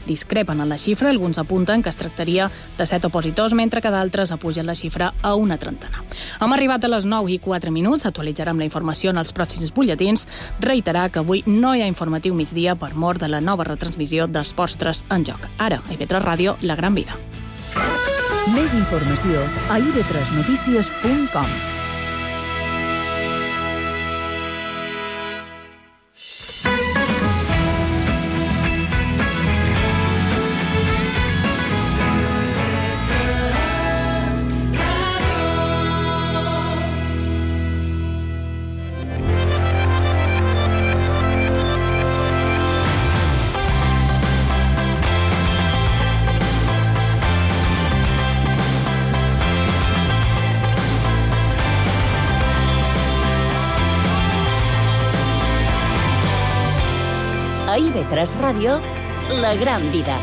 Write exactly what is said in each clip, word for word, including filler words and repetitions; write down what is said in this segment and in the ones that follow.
discrepen en la xifra. Alguns apunten que es tractaria de set opositors, mentre que d'altres apugen la xifra a una trentena. Hem arribat a les nou i quatre minuts. Actualitzarem la informació en els pròxims butlletins. Reiterar que avui no hi ha informatiu migdia per mort de la nova retransmissió d'Esports tres en joc. Ara, a I B tres Ràdio, La Gran Vida. Més informació a i be tres notícies punt com. A I B tres Ràdio, La Gran Vida.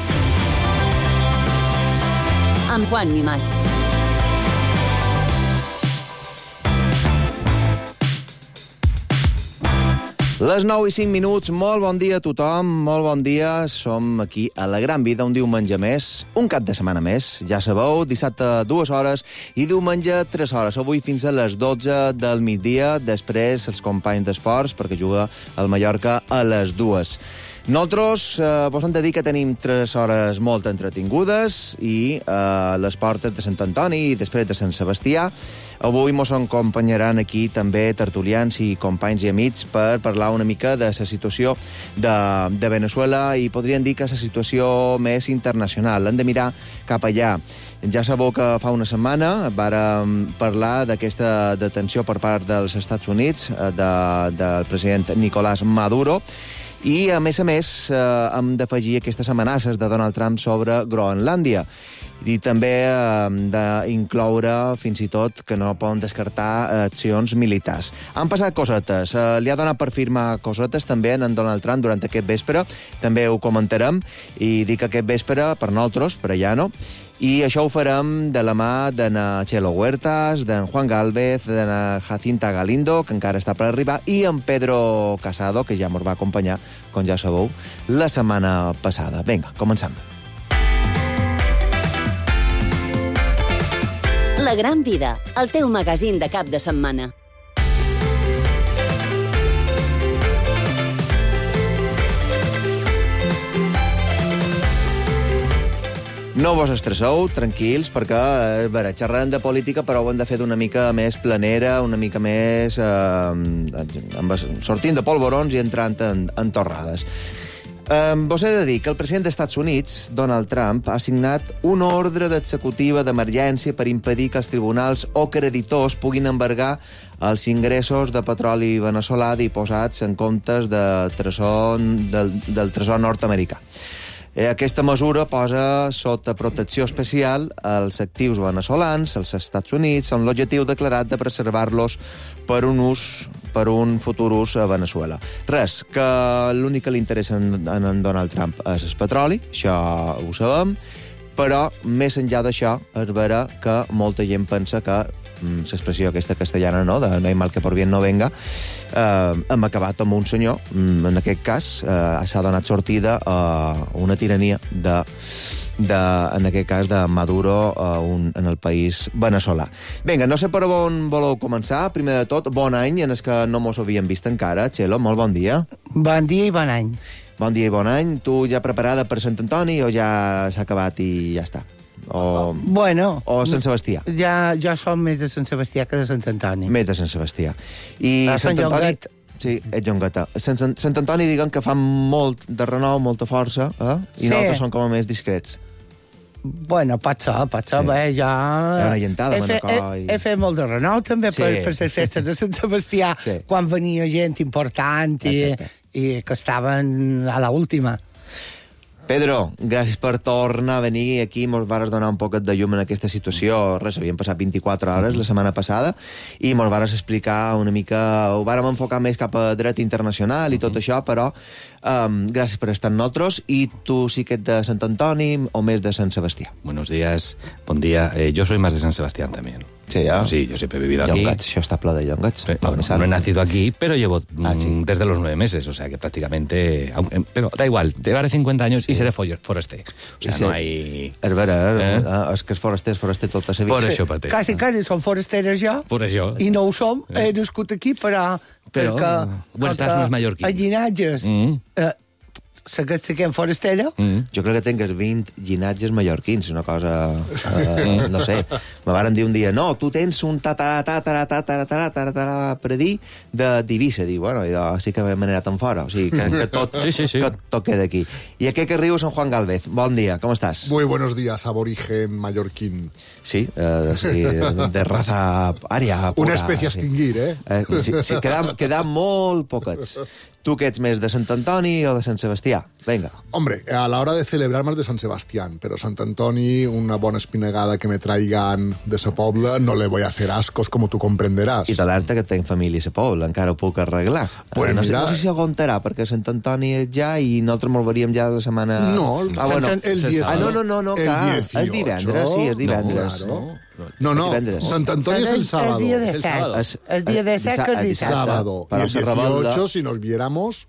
Amb Juan Mimàs. Les nou i cinc minuts, molt bon dia a tothom, molt bon dia. Som aquí a La Gran Vida, un diumenge més, un cap de setmana més. Ja sabeu, dissabte dues hores i diumenge tres hores. Avui fins a les dotze del migdia, després els companys d'esports, perquè juga el Mallorca a les dues. Nosaltres eh, vos hem de dir que tenim tres hores molt entretingudes i eh, les portes de Sant Antoni i després de Sant Sebastià. Avui mos acompanyaran aquí també tertulians i companys i amics per parlar una mica de la situació de, de Venezuela i podríem dir que és la situació més internacional. Hem de mirar cap allà. Ja sabeu que fa una setmana vàrem parlar d'aquesta detenció per part dels Estats Units de, del president Nicolás Maduro. I, a més a més, eh, hem d'afegir aquestes amenaces de Donald Trump sobre Groenlàndia. I també eh, d'incloure, fins i tot, que no poden descartar accions militars. Han passat cosetes. Eh, li ha donat per firmar cosetes també en Donald Trump durant aquest vespre. També ho comentarem. I dic aquest vespre per nosaltres, per allà no. I això ho farem de la mà de Chelo Huertas, d'en Juan Gálvez, de Jacinta Galindo, que encara està per arribar, i en Pedro Casado, que ja ens va acompanyar, com ja sabeu, la setmana passada. Vinga, comencem. La Gran Vida, el teu magazín de cap de setmana. No vos estresseu, tranquils, perquè a veure, xerrarem de política, però ho hem de fer d'una mica més planera, una mica més eh, sortint de polvorons i entrant en, en torrades. Eh, vos he de dir que el president dels Estats Units, Donald Trump, ha signat una ordre d'executiva d'emergència per impedir que els tribunals o creditors puguin embargar els ingressos de petroli veneçolà diposats en comptes de tresor, del, del tresor nord-americà. Aquesta mesura posa sota protecció especial els actius veneçolans, als Estats Units, amb l'objectiu declarat de preservar-los per un ús, per un futur ús a Venezuela. Res, que l'únic que li interessa en, en Donald Trump és el petroli, això ho sabem, però més enllà d'això és vera que molta gent pensa que l'expressió aquesta castellana, no?, de no hay mal que por bien no venga, eh, hem acabat amb un senyor, en aquest cas, eh, s'ha donat sortida a una tirania de, de, en aquest cas, de Maduro a un, en el país veneçolà. Vinga, no sé per on voleu començar. Primer de tot, bon any, en el que no mos havíem vist encara. Chelo, molt bon dia. Bon dia i bon any. Bon dia i bon any. Tu ja preparada per Sant Antoni o ja s'ha acabat i ja està? O, bueno, o Sant Sebastià? Ja, ja som més de Sant Sebastià que de Sant Antoni. Més de Sant Sebastià. I a Sant Antoni... Llonguet. Sí, ets Llongueta. Sant, Sant Antoni, diguem que fan molt de renou, molta força, eh? I sí. Nosaltres som com a més discrets. Bueno, pot ser, pot ser, sí. Bé, ja... Hi ha una llentada, he, fe, he, i... he fet molt de renou, també, sí. per, per les festes de Sant Sebastià, sí. Quan venia gent important i, i que estaven a l'última. Pedro, gràcies per tornar a venir aquí. Mos vares donar un poquet de llum en aquesta situació. Res, havien passat vint-i-quatre hores la setmana passada i mos vares explicar una mica... Ho vàrem enfocar més cap a dret internacional i tot això, però um, gràcies per estar amb nosaltres. I tu sí que ets de Sant Antoni o més de Sant Sebastià? Buenos días, bon dia. Eh, yo soy más de San Sebastián también. Sí, ya. Sí, yo siempre he vivido aquí. Llongats, això està ple de llongats. Sí, no, no, no he nacido aquí, pero llevo ah, sí. desde los nueve meses, o sea que prácticamente... Pero da igual, llevaré cincuenta años sí. y seré foraster. O sea, sí. no hay... És vera, eh? eh? És que és foraster, és foraster tota sa vida. Por això pateix. Quasi, quasi som forasteres jo. Por això. I no ho som, he nascut aquí, però... Però, Huestas no és mallorquí. A llinatges... Mm. Eh, Segueixen forastera? Mm. Jo crec que tingues vint llinatges mallorquins, una cosa... Eh, no sé. Me varen dir un dia, no, tu tens un tatarà, tatarà, tatarà, tatarà, tatarà, per dir de d'Eivissa. Dic, bueno, jo sí que m'he manerat en fora. O sigui, que, que, tot, sí, sí, sí. que tot queda aquí. I aquí que riu San Juan Galvez. Bon dia, com estàs? Muy buenos días, aborigen mallorquín. Sí, eh, sí de raza ària. Una espècie a extingir, eh? eh sí, sí, quedam, quedam molt poquets. Tu que ets més de Sant Antoni o de Sant Sebastià? Venga. Hombre, a la hora de celebrar más de San Sebastián, pero Sant Antoni, una bona espinegada que me traigan de ese poble, no le voy a hacer ascos, como tú comprenderás. I t'alerta que tenc família a ese poble, encara ho puc arreglar. Pues no, mira... sé, no sé si aguantarà, perquè Sant Antoni és ja i nosaltres molt veríem ja la setmana... No, ah, bueno. el dieciocho. Ah, no, no, no, no el clar, dieciocho. és divendres, sí, és divendres. No, claro. No, no, Sant Antoni es el sábado. El dia de set. El dia de set que és dissabte. Sábado. Y el dieciocho, si nos viéramos...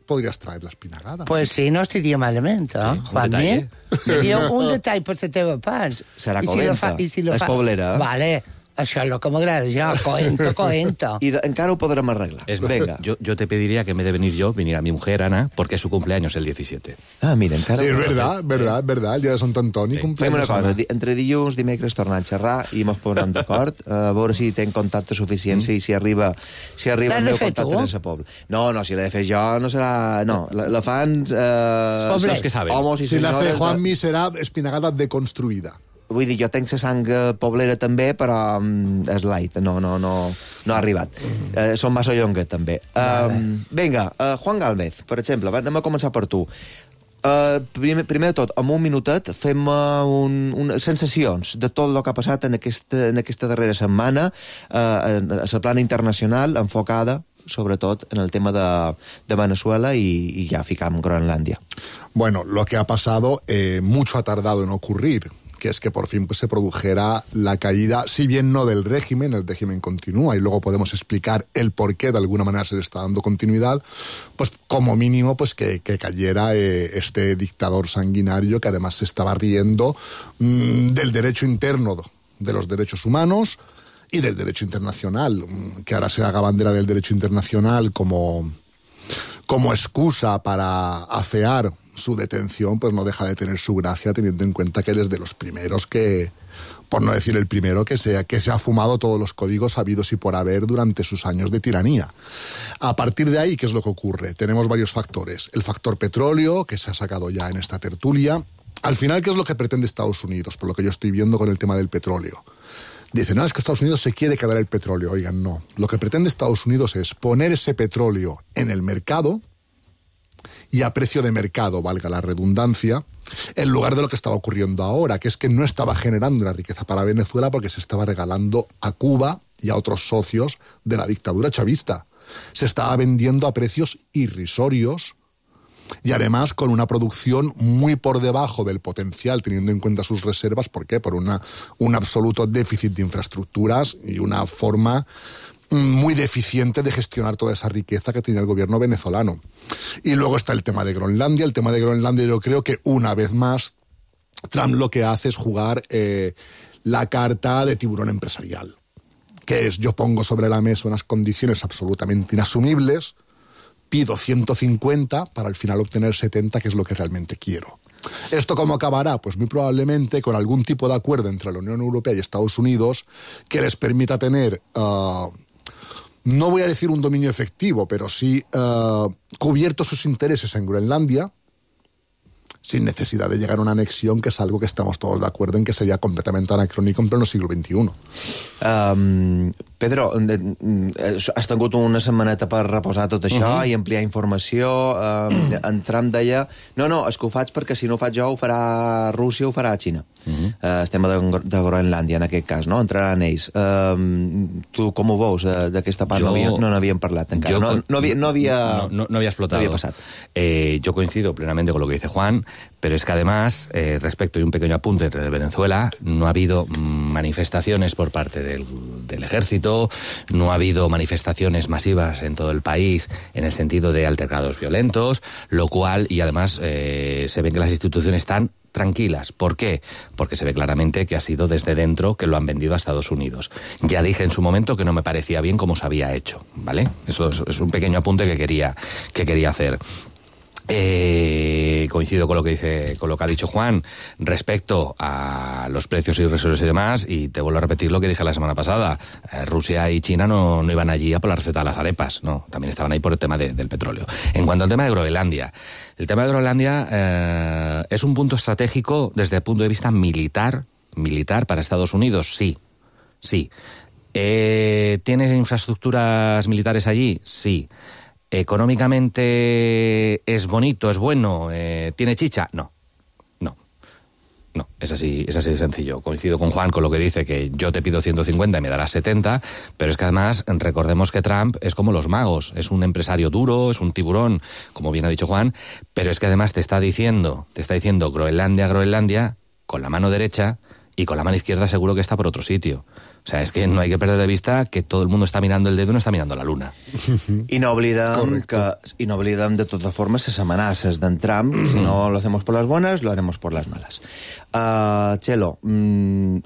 podrías traer la espinagada. Pues sí, no estaria malament, eh? Sí, un detall, seria un detall per la teva part. Serà coenta. I si lo fa... És poblera. Vale. Això és el que m'agrada ja, coenta, coenta. I de, encara ho podrem arreglar. Es venga. Yo, yo te pediría que en vez de venir yo, viniera mi mujer, Ana, porque es su cumpleaños el diecisiete. Ah, mira, encara... Sí, és verdad, verdad, verdad, el dia de Sant Antoni. Sí. Fem una cosa, di entre dilluns, dimecres tornar a xerrar i mos posarem d'acord, a veure si tenc contacte suficient, mm. si, si arriba, si arriba el meu contacte de sa poble. No, no, si l'he de fer jo no serà... No, la, la fan... Eh, els que saben. Homos i si la fe Juanmi serà espinagada deconstruïda. Vull dir, jo tenc la sang poblera també, però um, és light, no, no, no, no ha arribat. Uh, som massa llonguet, també. Um, vinga, uh, Juan Galvez, per exemple, anem a començar per tu. Uh, primer, primer de tot, en un minutet, fem uh, un, un, sensacions de tot el que ha passat en aquesta, en aquesta darrera setmana, uh, a la plana internacional, enfocada, sobretot, en el tema de, de Venezuela y, y ya ficam Groenlandia. Bueno, lo que ha pasado, eh, mucho ha tardado en ocurrir, que es que por fin pues, se produjera la caída, si bien no del régimen, el régimen continúa y luego podemos explicar el por qué de alguna manera se le está dando continuidad, pues como mínimo pues que, que cayera eh, este dictador sanguinario que además se estaba riendo mmm, del derecho interno de los derechos humanos y del derecho internacional, que ahora se haga bandera del derecho internacional como, como excusa para afear su detención, pues no deja de tener su gracia, teniendo en cuenta que él es de los primeros que, por no decir el primero, que se, que se ha fumado todos los códigos habidos y por haber durante sus años de tiranía. A partir de ahí, ¿qué es lo que ocurre? Tenemos varios factores. El factor petróleo, que se ha sacado ya en esta tertulia. Al final, ¿qué es lo que pretende Estados Unidos? Por lo que yo estoy viendo con el tema del petróleo. Dicen, no, es que Estados Unidos se quiere quedar el petróleo. Oigan, no. Lo que pretende Estados Unidos es poner ese petróleo en el mercado y a precio de mercado, valga la redundancia, en lugar de lo que estaba ocurriendo ahora, que es que no estaba generando una riqueza para Venezuela porque se estaba regalando a Cuba y a otros socios de la dictadura chavista. Se estaba vendiendo a precios irrisorios y además con una producción muy por debajo del potencial, teniendo en cuenta sus reservas. ¿Por qué? Por una, un absoluto déficit de infraestructuras y una forma muy deficiente de gestionar toda esa riqueza que tiene el gobierno venezolano. Y luego está el tema de Groenlandia. El tema de Groenlandia, yo creo que una vez más Trump lo que hace es jugar eh, la carta de tiburón empresarial, que es: yo pongo sobre la mesa unas condiciones absolutamente inasumibles, pido ciento cincuenta para al final obtener setenta, que es lo que realmente quiero. ¿Esto cómo acabará? Pues muy probablemente con algún tipo de acuerdo entre la Unión Europea y Estados Unidos que les permita tener... Uh, no voy a decir un dominio efectivo, pero sí uh, cubiertos sus intereses en Groenlandia, sin necesidad de llegar a una anexión, que es algo que estamos todos de acuerdo en que sería completamente anacrónico en pleno siglo veintiuno. Um, Pedro, has tingut una setmaneta per reposar tot això uh -huh. i ampliar informació. Eh, en Trump deia, no, no, és que ho faig perquè si no ho faig jo ho farà Rússia, ho farà Xina. Uh -huh. eh, estem de, de Groenlàndia, en aquest cas, no? Entraran ells. Eh, tu com ho veus d'aquesta part? Jo, no n'havíem no parlat encara. No, no, havia, no, havia, no, no, no había explotado. No había pasado. Eh, yo coincido plenamente con lo que dice Juan, pero es que además, eh, respecto y un pequeño apunte de Venezuela, no ha habido manifestaciones por parte del, del ejército, no ha habido manifestaciones masivas en todo el país en el sentido de altercados violentos, lo cual, y además eh, se ve que las instituciones están tranquilas. ¿Por qué? Porque se ve claramente que ha sido desde dentro que lo han vendido a Estados Unidos. Ya dije en su momento que no me parecía bien cómo se había hecho, ¿vale? Eso es, es un pequeño apunte que quería, que quería hacer. Eh, coincido con lo que dice, con lo que ha dicho Juan respecto a los precios irrisorios y demás, y te vuelvo a repetir lo que dije la semana pasada. Eh, Rusia y China no, no iban allí a por la receta de las arepas, no, también estaban ahí por el tema de, del petróleo. En cuanto al tema de Groenlandia, el tema de Groenlandia eh, es un punto estratégico desde el punto de vista militar, militar para Estados Unidos, sí, sí. Eh, ¿Tiene infraestructuras militares allí? Sí. ¿Económicamente es bonito, es bueno, eh, tiene chicha? No, no, no, es así, es así de sencillo. Coincido con Juan con lo que dice, que yo te pido ciento cincuenta y me darás setenta, pero es que además recordemos que Trump es como los magos, es un empresario duro, es un tiburón, como bien ha dicho Juan, pero es que además te está diciendo, te está diciendo Groenlandia, Groenlandia, con la mano derecha, y con la mano izquierda seguro que está por otro sitio. O sea, es que no hay que perder de vista que todo el mundo está mirando el dedo y no está mirando la luna. I no oblidem que, i no oblidem de totes formes les amenaces d'en Trump. Si no lo hacemos por las buenas, lo haremos por las malas. Uh, Txelo, mm,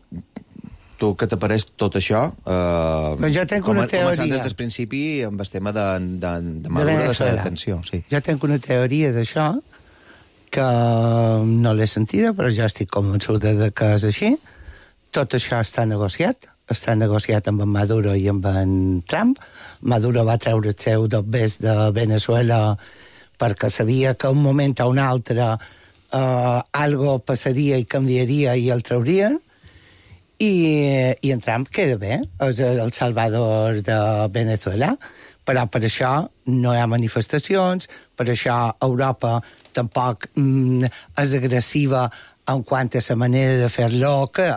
tu què te pareix tot això? Uh, pues jo tenc una teoria. Començant des del principi amb el tema de, de, de Maduro, de la detenció. Sí. Jo tenc una teoria d'això que no l'he sentida, però jo estic convençuda de que és així. Tot això està negociat. Està negociat amb en Maduro i amb en Trump. Maduro va treure el seu dobbers de Venezuela perquè sabia que un moment o un altre eh, algo passaria i canviaria i el traurien. I, i en Trump queda bé, és el salvador de Venezuela, però per això no hi ha manifestacions, per això Europa tampoc mm, és agressiva en quant a la manera de fer-lo, que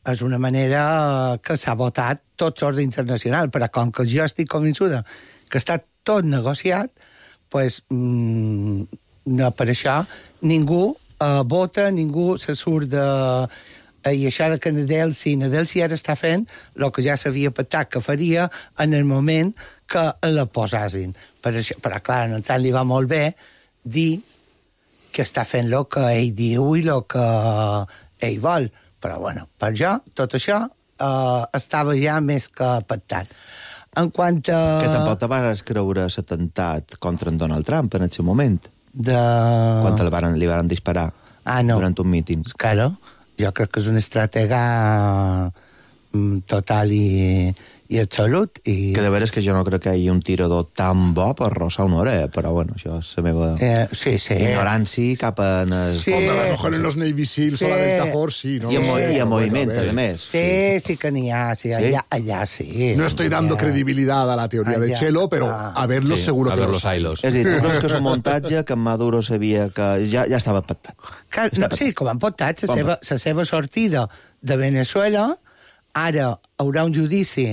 és una manera que s'ha votat tot l'ordre internacional, però com que jo estic convençuda que està tot negociat, pues, mmm, no, per això ningú eh, vota, ningú se surt de... Eh, I això de que Nadelsi, Nadelsi ara està fent el que ja s'havia pactat que faria en el moment que la posassin. Per això, però, clar, en tant li va molt bé dir que està fent el que ell diu i el que ell vol. Però, bueno, per jo, tot això eh, estava ja més que pactat. En quant a... Que tampoc te vas creure l'atemptat contra en Donald Trump en el seu moment. De... Quan li van, li van disparar ah, no. durant un míting. Claro, jo crec que és un estratega total i, i absolut. I... Que de veres que jo no crec que hi hagi un tirador tan bo per rossar una hora, eh? Però bueno, això és la meva eh, sí, sí. ignorància cap en... El... Sí. Hombre, a lo mejor en los Navy Seals sí. o la Delta Force, sí, ¿no? I en, sí. i en moviment, a més. Sí, sí, sí que n'hi ha, sí, allà, allà sí. No estoy dando credibilidad a la teoría allá. de Txelo, pero ah. a verlos sí, seguro a que ver los hay. És a dir, tu creus que és un muntatge que en Maduro sabia que ja, ja estava pactat? Que, no, sí, com han pactat, la seva, la seva sortida de Venezuela, ara haurà un judici.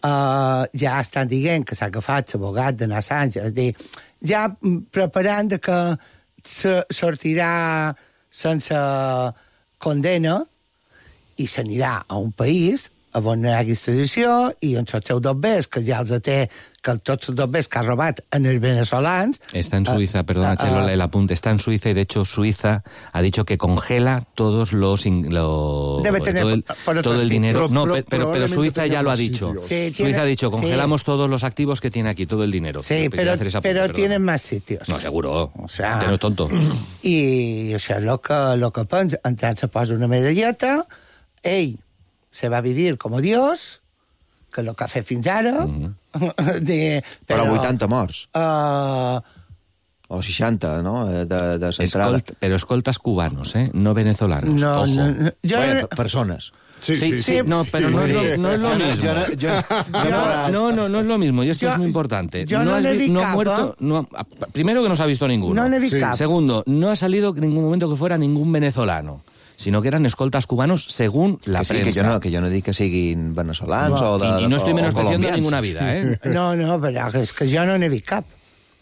Uh, ja estan dient que s'ha agafat l'abogat de Assange, és dir, ja preparant de que sortirà sense condena i s'anirà a un país on no hi hagi extradició i on els seus dobbers, que ja els té, que tots els dobbers que ha robat en els venezolans... Está en Suiza, uh, perdona, Txelo, uh, el apunte, está en Suiza y de hecho Suiza ha dicho que congela todos los... los debe tener todo el, por todo el dinero. Pero, no, pero, pero, pero Suiza ya lo ha dicho. Sí, Suiza tiene, ha dicho, congelamos sí. todos los activos que tiene aquí, todo el dinero. Sí, pero, apunte, pero tienen más sitios. No, seguro. O sea, no es tonto. I això és el que, lo que pensa. Entrant se posa una medalleta, ell se va a vivir com Dios, que el que ha fet fins ara... Mm-hmm. de, però, però vuitanta morts. Uh, o seixanta, no? De, de Escolt, però escoltes cubanos, eh? No venezolanos. No, Ojo. no, no. Jo bueno, no... persones. Sí, Sí, sí, sí, no, pero no es lo, no es lo Yo no- mismo. yo no- yo- No, no, no es lo mismo, y esto Yo- es muy importante. yo no has n'he vi- vist no ha cap, muerto, eh? no ha- primero que no se ha visto ninguno. No n'he vist Sí. cap. Segundo, no ha salido en ningún momento que fuera ningún venezolano, sino que eran escoltas cubanos según la que sí, prensa. que jo, no, que jo no dic que siguin venezolans No. o de... y, y no estoy o menospreciando colombians. ninguna vida, ¿eh? No, no, però és que jo no n'he vist cap.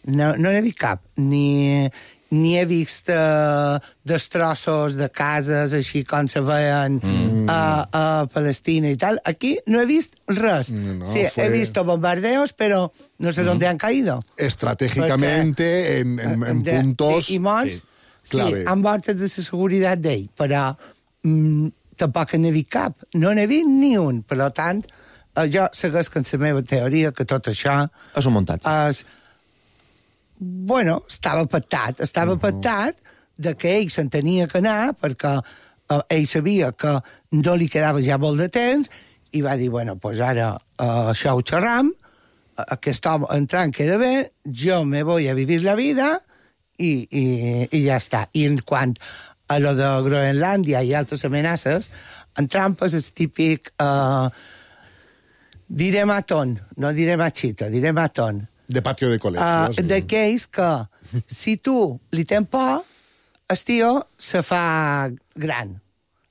No, no n'he vist cap. Ni, ni he vist uh, destrossos de cases així com se veien mm. a, a Palestina i tal. Aquí no he vist res. No, sí, fue... he visto bombardeos, pero no sé mm. dónde han caído. Estratégicamente, en, en, en de, puntos... I, i morts, sí, clave. han mortes de la seguretat d'ell, però mm, tampoc n'he vist cap. No n'he vist ni un. Per tant, eh, jo segueix amb la meva teoria que tot això És un muntatge. és... Bueno, estava pactat. Estava uh -huh. pactat de que ell se'n tenia que anar perquè eh, ell sabia que no li quedava ja molt de temps i va dir, bueno, pues ara eh, això ho xerram, aquest home entrant queda bé, jo me voy a vivir la vida i, i, i ja està. I en quant a lo de Groenlàndia i altres amenaces, en Trump és el típic... Eh, diré matón, no diré machito, diré matón. De patio de col·legios. Uh, d'aquells que, si tu li tens por, el tio se fa gran.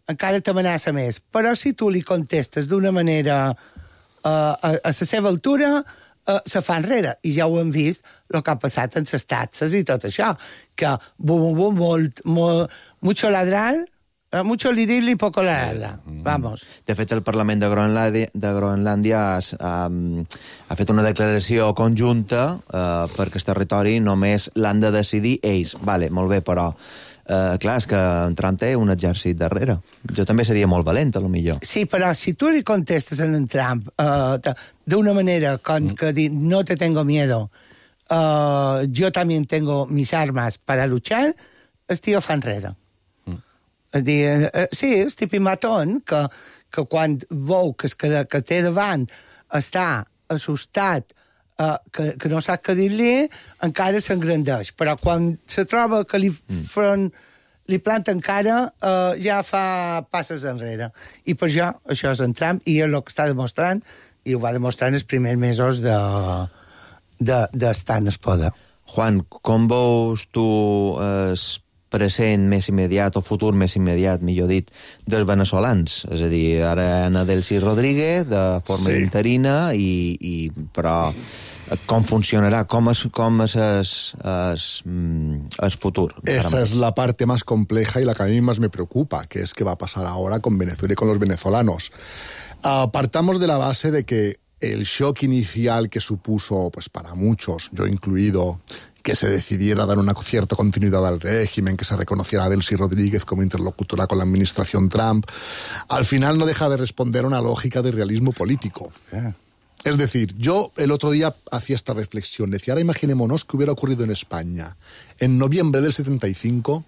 Encara t'amenaça més. Però si tu li contestes d'una manera uh, a, a la seva altura, uh, se fa enrere. I ja ho hem vist, el que ha passat en les taxes i tot això. Que, bum, bum, bum, molt, molt, mucho ladrar, uh, mucho liril i poco ladrar. Vamos. De fet, el Parlament de Groenlàndia, de Groenlàndia ha, ha, ha fet una declaració conjunta eh, perquè el territori només l'han de decidir ells. Vale, molt bé, però eh, clar, és que en Trump té un exèrcit darrere. Jo també seria molt valent, a lo millor. Sí, però si tu li contestes a en Trump uh, d'una manera con mm. que dir no te tengo miedo, uh, yo también tengo mis armas para luchar, el tio fa enrere. Mm. Dir, uh, sí, és típic matón que, que quan veu que, que, que té davant està assustat, uh, que, que no sap què dir-li, encara s'engrandeix. Però quan se troba que li mm. front li planta encara, uh, ja fa passes enrere. I per això, això és en Trump, i és el que està demostrant, i ho va demostrar en els primers mesos de, de, d'estar en el poder. Juan, com veus tu el present més immediat, o futur més immediat, millor dit, dels veneçolans? És a dir, ara Ana Delcy Rodríguez, de forma sí. interina, i, i, però com funcionará, cómo es, cómo es, es, es, es futuro. Esa es la parte más compleja y la que a mí más me preocupa, que es qué va a pasar ahora con Venezuela y con los venezolanos. Uh, partamos de la base de que el shock inicial que supuso, pues para muchos, yo incluido, que se decidiera dar una cierta continuidad al régimen, que se reconociera a Delcy Rodríguez como interlocutora con la administración Trump, al final no deja de responder a una lógica de realismo político. Yeah. Es decir, yo el otro día hacía esta reflexión, decía, ahora imaginémonos que hubiera ocurrido en España, en noviembre del setenta y cinco,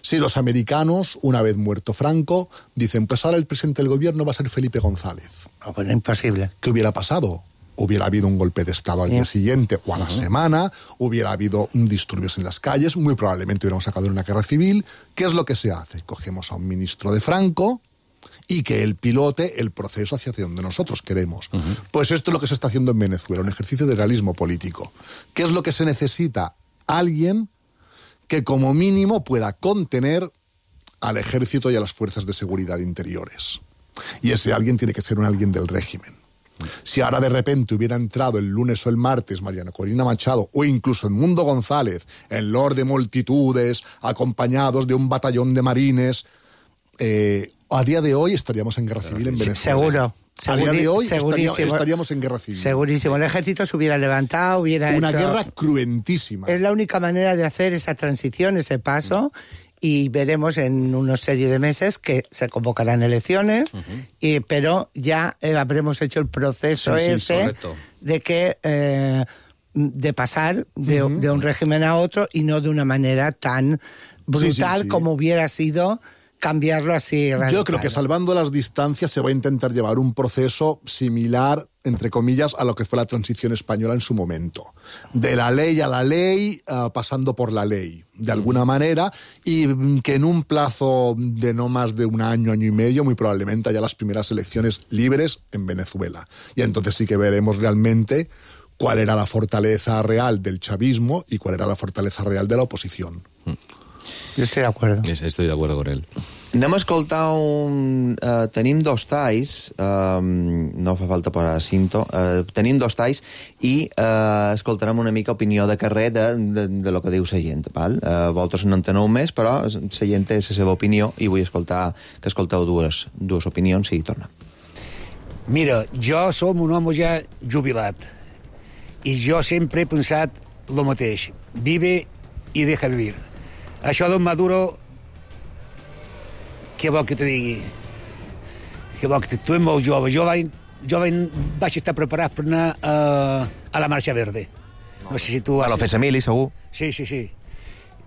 si los americanos, una vez muerto Franco, dicen, pues ahora el presidente del gobierno va a ser Felipe González. Oh, pues imposible. ¿Qué hubiera pasado? Hubiera habido un golpe de Estado al yeah. día siguiente o a la uh-huh. semana, hubiera habido disturbios en las calles, muy probablemente hubiéramos acabado en una guerra civil. ¿Qué es lo que se hace? Cogemos a un ministro de Franco y que él pilote el proceso hacia donde nosotros queremos. Uh-huh. Pues esto es lo que se está haciendo en Venezuela, un ejercicio de realismo político. ¿Qué es lo que se necesita? Alguien que como mínimo pueda contener al ejército y a las fuerzas de seguridad interiores. Y ese alguien tiene que ser un alguien del régimen. Si ahora de repente hubiera entrado el lunes o el martes Mariana Corina Machado o incluso Edmundo González en lord de multitudes, acompañados de un batallón de marines, eh, a día de hoy estaríamos en guerra civil en Venezuela. Seguro. A día de hoy estaría, estaríamos en guerra civil. Segurísimo. El ejército se hubiera levantado, hubiera Una hecho... guerra cruentísima. Es la única manera de hacer esa transición, ese paso, y veremos en una serie de meses que se convocarán elecciones, uh-huh. y, pero ya eh, habremos hecho el proceso sí, sí, ese correcto. de que... Eh, de pasar de, uh-huh. de un régimen a otro y no de una manera tan brutal sí, sí, sí. como hubiera sido cambiarlo así. Radical. Yo creo que salvando las distancias se va a intentar llevar un proceso similar, entre comillas, a lo que fue la transición española en su momento. De la ley a la ley, uh, pasando por la ley, de alguna manera, y que en un plazo de no más de un año, año y medio, muy probablemente haya las primeras elecciones libres en Venezuela. Y entonces sí que veremos realmente cuál era la fortaleza real del chavismo y cuál era la fortaleza real de la oposición. Jo estic d'acord. Estoy de acuerdo con él. Anem a escoltar un... Uh, tenim dos talls, uh, no fa falta posar cinto, uh, tenim dos talls i uh, escoltarem una mica opinió de carrer de, de, de lo que diu la gent. Val? Uh, vosaltres no enteneu més, però la gent té la seva opinió i vull escoltar que escolteu dues, dues opinions i tornem. Mira, jo som un home ja jubilat i jo sempre he pensat el mateix. Vive i deja vivir. Això d'on Maduro, què vol que te digui? Què vol que te... Tu ets molt jove. Jo, vaig, jo vaig, vaig estar preparat per anar a, a la Marxa Verde. No sé si tu... A l'Ofes Emili, segur. Sí, sí, sí.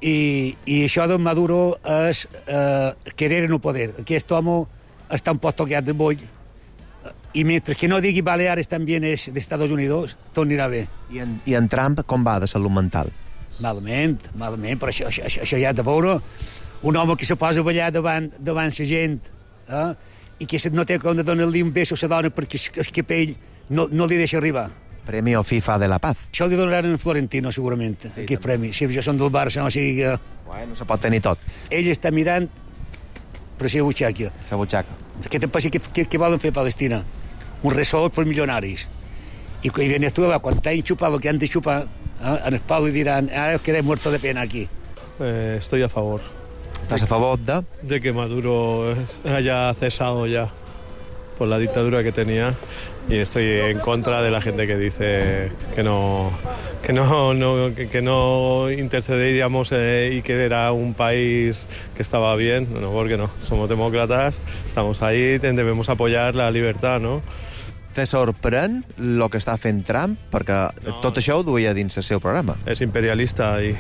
I, i això d'on Maduro és eh, querer no poder. Aquest home està un poc tocat de boll i mentre que no digui Baleares també és d'Estats Units, tot anirà bé. I en, I en Trump com va de salut mental? Malament, malament, però això, això, això ja de veure un home que se posa a ballar davant, davant la gent eh? I que no té com de donar-li un beso a la dona perquè el capell no, no li deixa arribar. Premio FIFA de la Paz. Això li donaran a Florentino, segurament, sí, aquest premi. Si jo som del Barça, o sigui que... Bueno, se pot tenir tot. Ell està mirant per la butxaca. La butxaca. Què te passa que, que, que volen fer a Palestina? Un resort per milionaris. I que Venezuela, quan t'han xupat el que han de xupar, ¿eh? En el palo y dirán, ahora os quedé muerto de pena aquí. Eh, estoy a favor. ¿Estás a favor de? De que Maduro haya cesado ya por la dictadura que tenía y estoy en contra de la gente que dice que no que no, no que, que no intercederíamos eh, y que era un país que estaba bien. No, porque no. Somos demócratas, estamos ahí, debemos apoyar la libertad, ¿no? Te sorprèn el que està fent Trump? Perquè no. Tot això ho duia dins el seu programa. Es imperialista y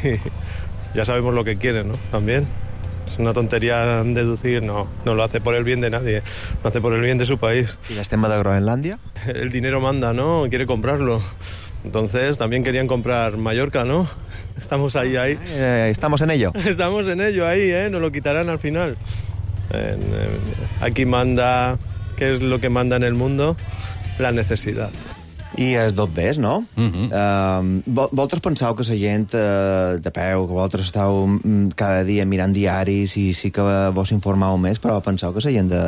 ya sabemos lo que quiere, ¿no? También. Es una tontería deducir, no, no lo hace por el bien de nadie, lo hace por el bien de su país. ¿Y el tema de Groenlandia? El dinero manda, ¿no? Quiere comprarlo. Entonces también querían comprar Mallorca, ¿no? Estamos ahí, ahí. Eh, estamos en ello. Estamos en ello, ahí, ¿eh? Nos lo quitarán al final. Eh, eh, aquí manda, ¿qué es lo que manda en el mundo? La necessitat. I els dos bes, no? Uh-huh. Uh, vosaltres penseu que la gent uh, de peu, que vosaltres esteu um, cada dia mirant diaris i sí que vos informeu més, però penseu que la gent de...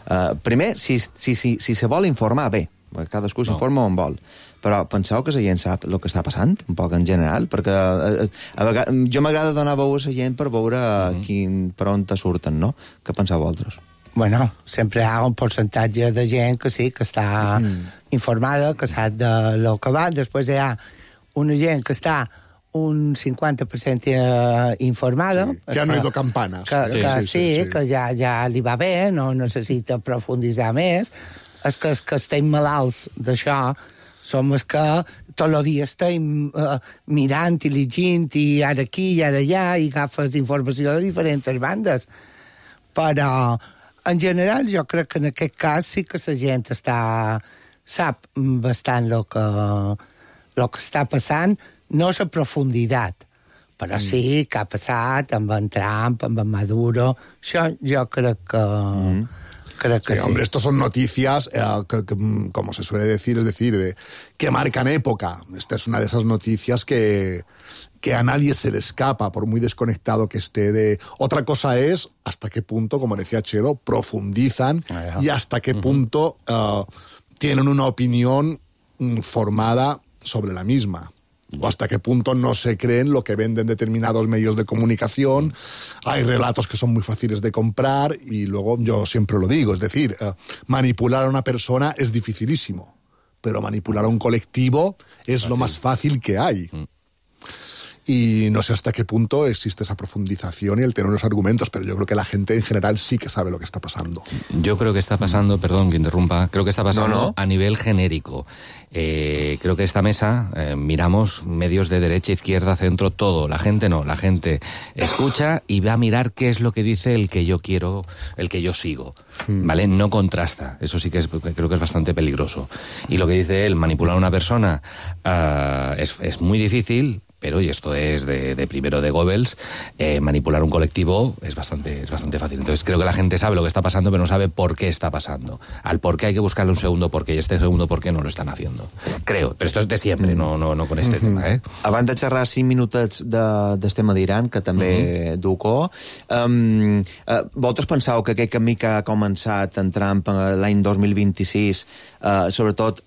Uh, primer, si, si, si, si se vol informar, bé, cadascú no. s'informa on vol, però penseu que la gent sap el que està passant, un poc en general, perquè uh, a vegades, jo m'agrada donar veu a la gent per veure uh-huh. quin, per on te surten, no? Què penseu vosaltres? Bueno, sempre hi ha un percentatge de gent que sí, que està mm. informada, que sap de lo que va. Després hi ha una gent que està un cinquanta per cent informada. Sí, que han oído campanas. Que, eh? que sí, sí, sí, sí, que ja, ja li va bé, no necessita profunditzar més. És que els que estem malalts d'això som els que tot el dia estem uh, mirant i llegint i ara aquí i ara allà i agafes informació de diferents bandes. Però... en general, jo crec que en aquest cas sí que la gent està, sap bastant el que, el que està passant, no la profunditat, però sí que ha passat amb en Trump, amb en Maduro, això jo crec que... Mm. Creo que sí, sí. Hombre, estos son noticias, eh, que, que, como se suele decir, es decir, de, que marcan época. Esta es una de esas noticias que, que a nadie se le escapa, por muy desconectado que esté de... Otra cosa es hasta qué punto, como decía Chelo, profundizan ah, y hasta qué uh-huh. punto uh, tienen una opinión formada sobre la misma. O hasta qué punto no se creen lo que venden determinados medios de comunicación. Hay relatos que son muy fáciles de comprar y luego yo siempre lo digo, es decir, eh, manipular a una persona es dificilísimo, pero manipular a un colectivo es Fácil. lo más fácil que hay. Mm. y no sé hasta qué punto existe esa profundización y el tener unos argumentos, pero yo creo que la gente en general sí que sabe lo que está pasando. Yo creo que está pasando, perdón que interrumpa, creo que está pasando no, no. a nivel genérico. Eh, creo que esta mesa eh, miramos medios de derecha, izquierda, centro, todo. La gente no, la gente escucha y va a mirar qué es lo que dice el que yo quiero, el que yo sigo, ¿vale? No contrasta, eso sí que es, creo que es bastante peligroso. Y lo que dice él, manipular a una persona uh, es, es muy difícil, pero, y esto es de, de primero de Goebbels, eh, manipular un colectivo es bastante, es bastante fácil. Entonces creo que la gente sabe lo que está pasando, pero no sabe por qué está pasando. Al por qué hay que buscarle un segundo porqué, y este segundo porqué no lo están haciendo. Creo, però esto és de sempre, no, no, no con este mm-hmm. tema. Eh? Abans de xerrar cinc minutets de, del tema d'Iran, que també mm-hmm. du co, um, uh, vosaltres penseu que aquest camí que ha començat en Trump l'any dos mil vint-i-sis, uh, sobretot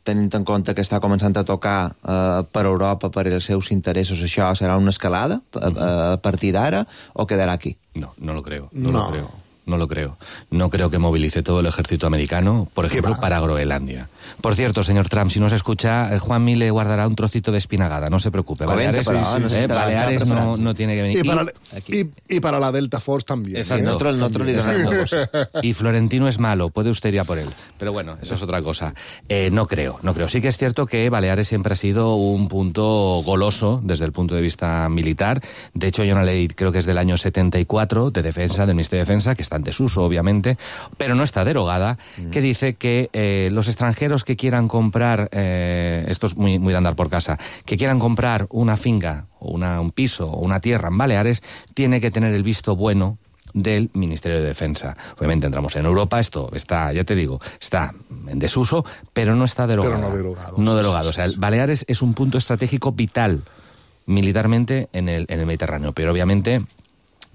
tenint en compte que està començant a tocar uh, per Europa, per els seus interessos, això serà una escalada a, a partir d'ara o quedará aquí? No, no lo creo, no, no. lo creo. No lo creo. No creo que movilice todo el ejército americano, por ejemplo, para Groenlandia. Por cierto, señor Trump, si no se escucha, Juanmi le guardará un trocito de espinagada, no se preocupe. Baleares, sí, sí, eh, sí, Baleares no, no tiene que venir. Y para, y, y, y para la Delta Force también. Exacto. ¿eh? Nosotros, nosotros le donamos. Y Florentino es malo, puede usted ir a por él. Pero bueno, eso es otra cosa. Eh, no creo, no creo. Sí que es cierto que Baleares siempre ha sido un punto goloso desde el punto de vista militar. De hecho, hay una ley, creo que es del año setenta y cuatro, de defensa, del Ministerio de Defensa, que está en desuso, obviamente, pero no está derogada, mm. que dice que eh, los extranjeros que quieran comprar, eh, esto es muy, muy de andar por casa, que quieran comprar una finca, o una, un piso, o una tierra en Baleares, tiene que tener el visto bueno del Ministerio de Defensa. Obviamente entramos en Europa, esto está, ya te digo, está en desuso, pero no está derogado. Pero no derogado. No derogado. O sea, el Baleares es un punto estratégico vital militarmente en el, en el Mediterráneo, pero obviamente...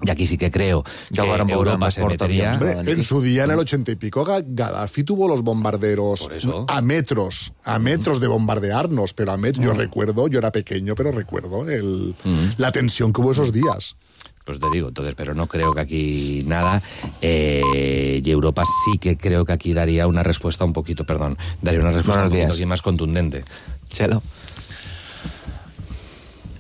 Y aquí sí que creo que Europa se metería... Hombre, en su día, en el ochenta y pico, Gaddafi tuvo los bombarderos a metros, a metros de bombardearnos, pero a metros, yo recuerdo, yo era pequeño, pero recuerdo el, mm. la tensión que hubo esos días. Pues te digo, entonces, pero no creo que aquí nada, eh, y Europa sí que creo que aquí daría una respuesta un poquito, perdón, daría una respuesta un poquito aquí más contundente. Chelo.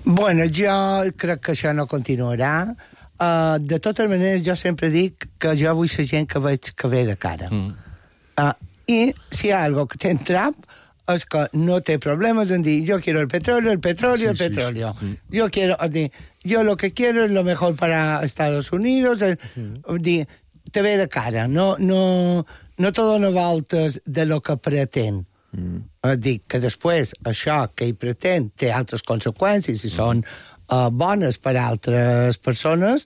Bueno, jo crec que això no continuarà. Uh, de totes maneres, jo sempre dic que jo vull ser gent que veig que ve de cara. Mm. Uh, I si hi ha algo que té en Trump és que no té problemes en dir yo quiero el petróleo, el petróleo, sí, el petróleo. Sí, sí. Yo quiero, dir, yo lo que quiero es lo mejor para Estados Unidos. El, mm. dir, te ve de cara. No, no, no te dona voltes de lo que pretén. Mm. Uh, dic que després això que ell pretén té altres conseqüències i mm. són Uh, bones per a altres persones,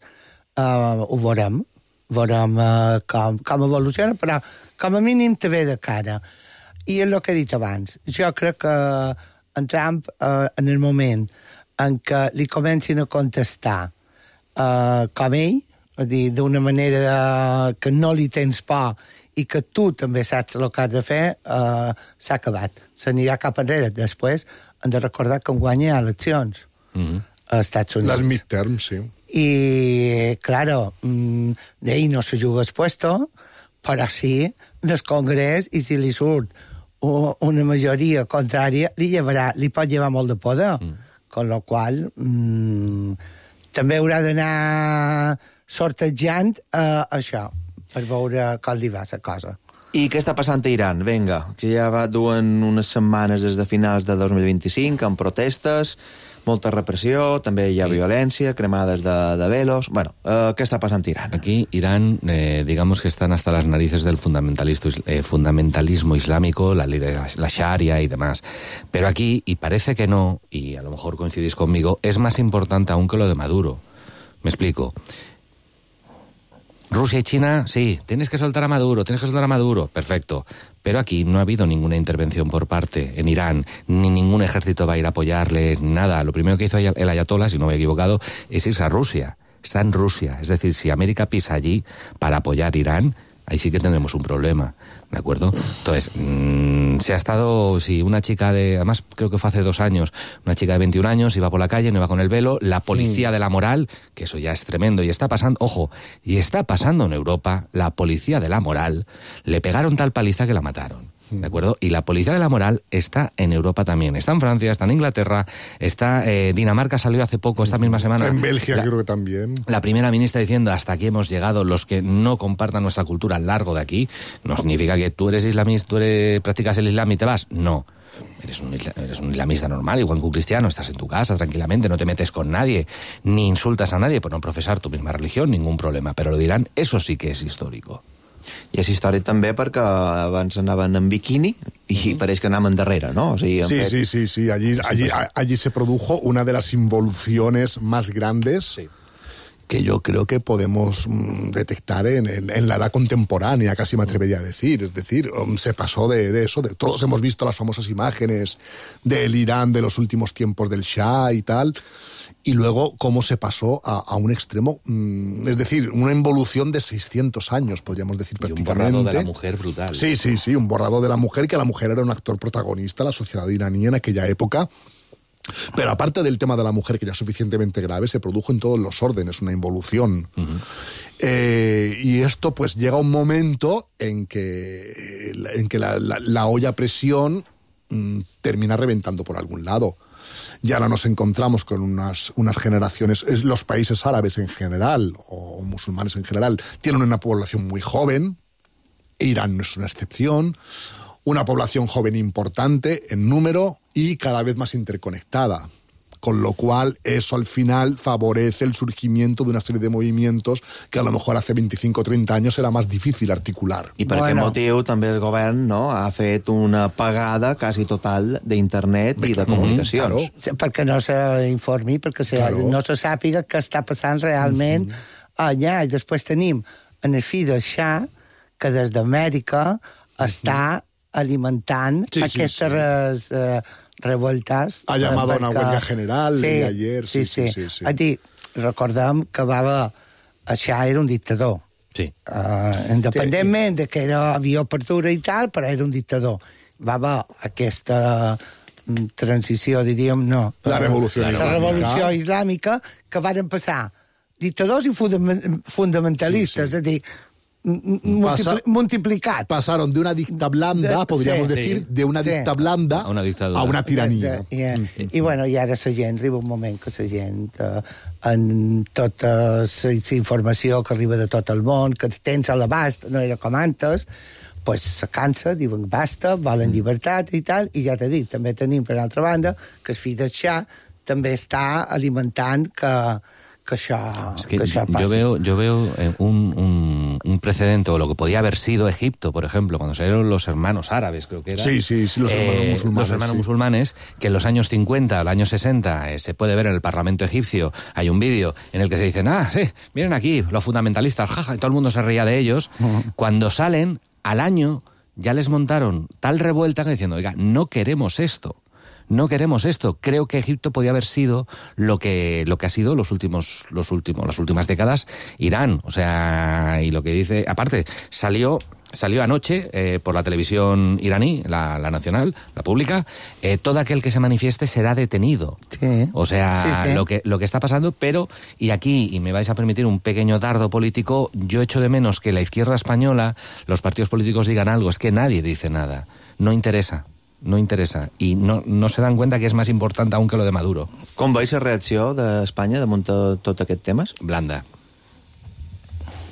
uh, ho veurem. Veurem uh, com, com evoluciona, però com a mínim te ve de cara. I és el que he dit abans. Jo crec que en Trump, uh, en el moment en què li comencin a contestar uh, com ell, a dir, d'una manera uh, que no li tens por i que tu també saps el que has de fer, uh, s'ha acabat. S'anirà cap enrere. Després hem de recordar que en guanya eleccions. Mm-hmm. A Estats Units. Las midterms, sí. Y, claro, mmm, ell no se juga el puesto, però sí del Congrés, i si li surt una majoria contrària, li, llevarà, li pot llevar molt de poder. Mm. Con lo qual, mmm, també haurà d'anar sortejant uh, això, per veure com li va la cosa. I què està passant a Iran? Vinga, que ja va duen unes setmanes des de finals de dos mil vint-i-cinc, amb protestes, molta repressió, també hi ha sí. violència, cremades de, de velos... Bueno, eh, ¿qué está pasando en Irán? Aquí, Irán, eh, digamos que están hasta las narices del fundamentalismo, eh, fundamentalismo islámico, la ley de la, la Sharia y demás. Pero aquí, y parece que no, y a lo mejor coincidís conmigo, es más importante aún que lo de Maduro. Me explico. Rusia y China, sí, tienes que soltar a Maduro, tienes que soltar a Maduro, perfecto. Pero aquí no ha habido ninguna intervención por parte en Irán, ni ningún ejército va a ir a apoyarle, ni nada. Lo primero que hizo el ayatolá, si no me he equivocado, es irse a Rusia. Está en Rusia. Es decir, si América pisa allí para apoyar a Irán, ahí sí que tendremos un problema, ¿de acuerdo? Entonces, mmm, se ha estado, si una chica de, además creo que fue hace dos años, una chica de veintiún años iba por la calle, no iba con el velo, la policía de la moral, que eso ya es tremendo, y está pasando, ojo, y está pasando en Europa, la policía de la moral, le pegaron tal paliza que la mataron. ¿de acuerdo? Y la policía de la moral está en Europa también. Está en Francia, está en Inglaterra, está eh, Dinamarca salió hace poco, esta misma semana. En Bélgica la, creo que también. La primera ministra diciendo hasta aquí hemos llegado, los que no compartan nuestra cultura largo de aquí. No significa que tú eres islamista, tú eres, practicas el islam y te vas. No. Eres un, eres un islamista normal, igual que un cristiano, estás en tu casa tranquilamente, no te metes con nadie, ni insultas a nadie por no profesar tu misma religión, ningún problema. Però lo dirán, eso sí que és històrico. I és històric també perquè abans anaven en biquini i mm-hmm. pareix que anaven darrere, ¿no? O sigui, sí, fet... sí, sí, sí, allí, allí, allí se produjo una de las involuciones más grandes sí. que yo creo que podemos mm, detectar en, en, en la edad contemporánea, casi me atrevería a decir. Es decir, um, se pasó de, de eso. De, todos hemos visto las famosas imágenes del Irán de los últimos tiempos del Shah y tal, y luego cómo se pasó a, a un extremo, mm, es decir, una involución de seiscientos años, podríamos decir, y prácticamente. un borrado de la mujer brutal. Sí, sí, sí, un borrado de la mujer, que la mujer era un actor protagonista, la sociedad iraní en aquella época. Pero aparte del tema de la mujer, que ya es suficientemente grave, se produjo en todos los órdenes una involución. Uh-huh. Eh, y esto pues llega un momento en que, en que la, la, la olla a presión mmm, termina reventando por algún lado. Ya ahora nos encontramos con unas, unas generaciones, los países árabes en general, o musulmanes en general, tienen una población muy joven, Irán no es una excepción, una población joven importante en número y cada vez más interconectada, con lo cual eso al final favorece el surgimiento de una serie de movimientos que a lo mejor hace veinticinco o treinta años era más difícil articular. I per bueno. aquest motiu també el govern no, ha fet una pagada quasi total d'internet i de comunicacions. Mm-hmm, claro. Perquè no s'informi, perquè se, claro. no se sàpiga què està passant realment mm-hmm. allà. I després tenim en el fill del Shah, que des d'Amèrica mm-hmm. està alimentant sí, aquestes sí, sí. Uh, revoltes. Ha llamado perquè... a una huelga general sí, i ayer. Sí, sí. sí, sí, sí. A dir, recordem que va haver... El Shah era un dictador. Sí. Uh, independentment sí. de que era, havia apertura i tal, però era un dictador. Va haver aquesta transició, diríem, no. La revolució la islàmica. La revolució islàmica, que van passar dictadors i fundamentalistes, sí, sí. és a dir, Multipli Pasa, multiplicat. Pasaron de una dicta blanda, de, podríamos sí, decir, sí, de una sí. dicta blanda a una, a una tiranía. De, de, yeah. mm. I bueno, i ara la gent, arriba un moment que la gent, eh, en tota la informació que arriba de tot el món, que tens a l'abast, no era com antes, pues se cansa, diuen basta, volen llibertat i tal, i ja t'he dit, també tenim, per altra banda, que el fill del Shah també està alimentant que... que això, es que que això passi. Yo veo, yo veo un, un, un precedente, o lo que podía haber sido Egipto, por ejemplo, cuando salieron los hermanos árabes, creo que era. Sí, sí, sí, los hermanos eh, musulmanes. Los hermanos sí. musulmanes, que en los años cincuenta, al año sesenta, eh, se puede ver en el Parlamento egipcio, hay un vídeo en el que se dicen, ah, sí, miren aquí, los fundamentalistas, jaja, y todo el mundo se reía de ellos. Uh-huh. Cuando salen, al año, ya les montaron tal revuelta que diciendo, oiga, no queremos esto. No queremos esto. Creo que Egipto podía haber sido lo que lo que ha sido los últimos los últimos las últimas décadas Irán, o sea, y lo que dice, aparte salió Salió anoche eh, por la televisión iraní, la, la nacional, la pública, eh, todo aquel que se manifieste será detenido. Sí. O sea, sí, sí. Lo, que, lo que está pasando, pero, y aquí, y me vais a permitir un pequeño dardo político, yo echo de menos que la izquierda española, los partidos políticos digan algo, es que nadie dice nada, no interesa. No interessa, i no, no se dan cuenta que és més important aún que lo de Maduro. Com veis la reacció d'Espanya damunt tot aquest temes? Blanda.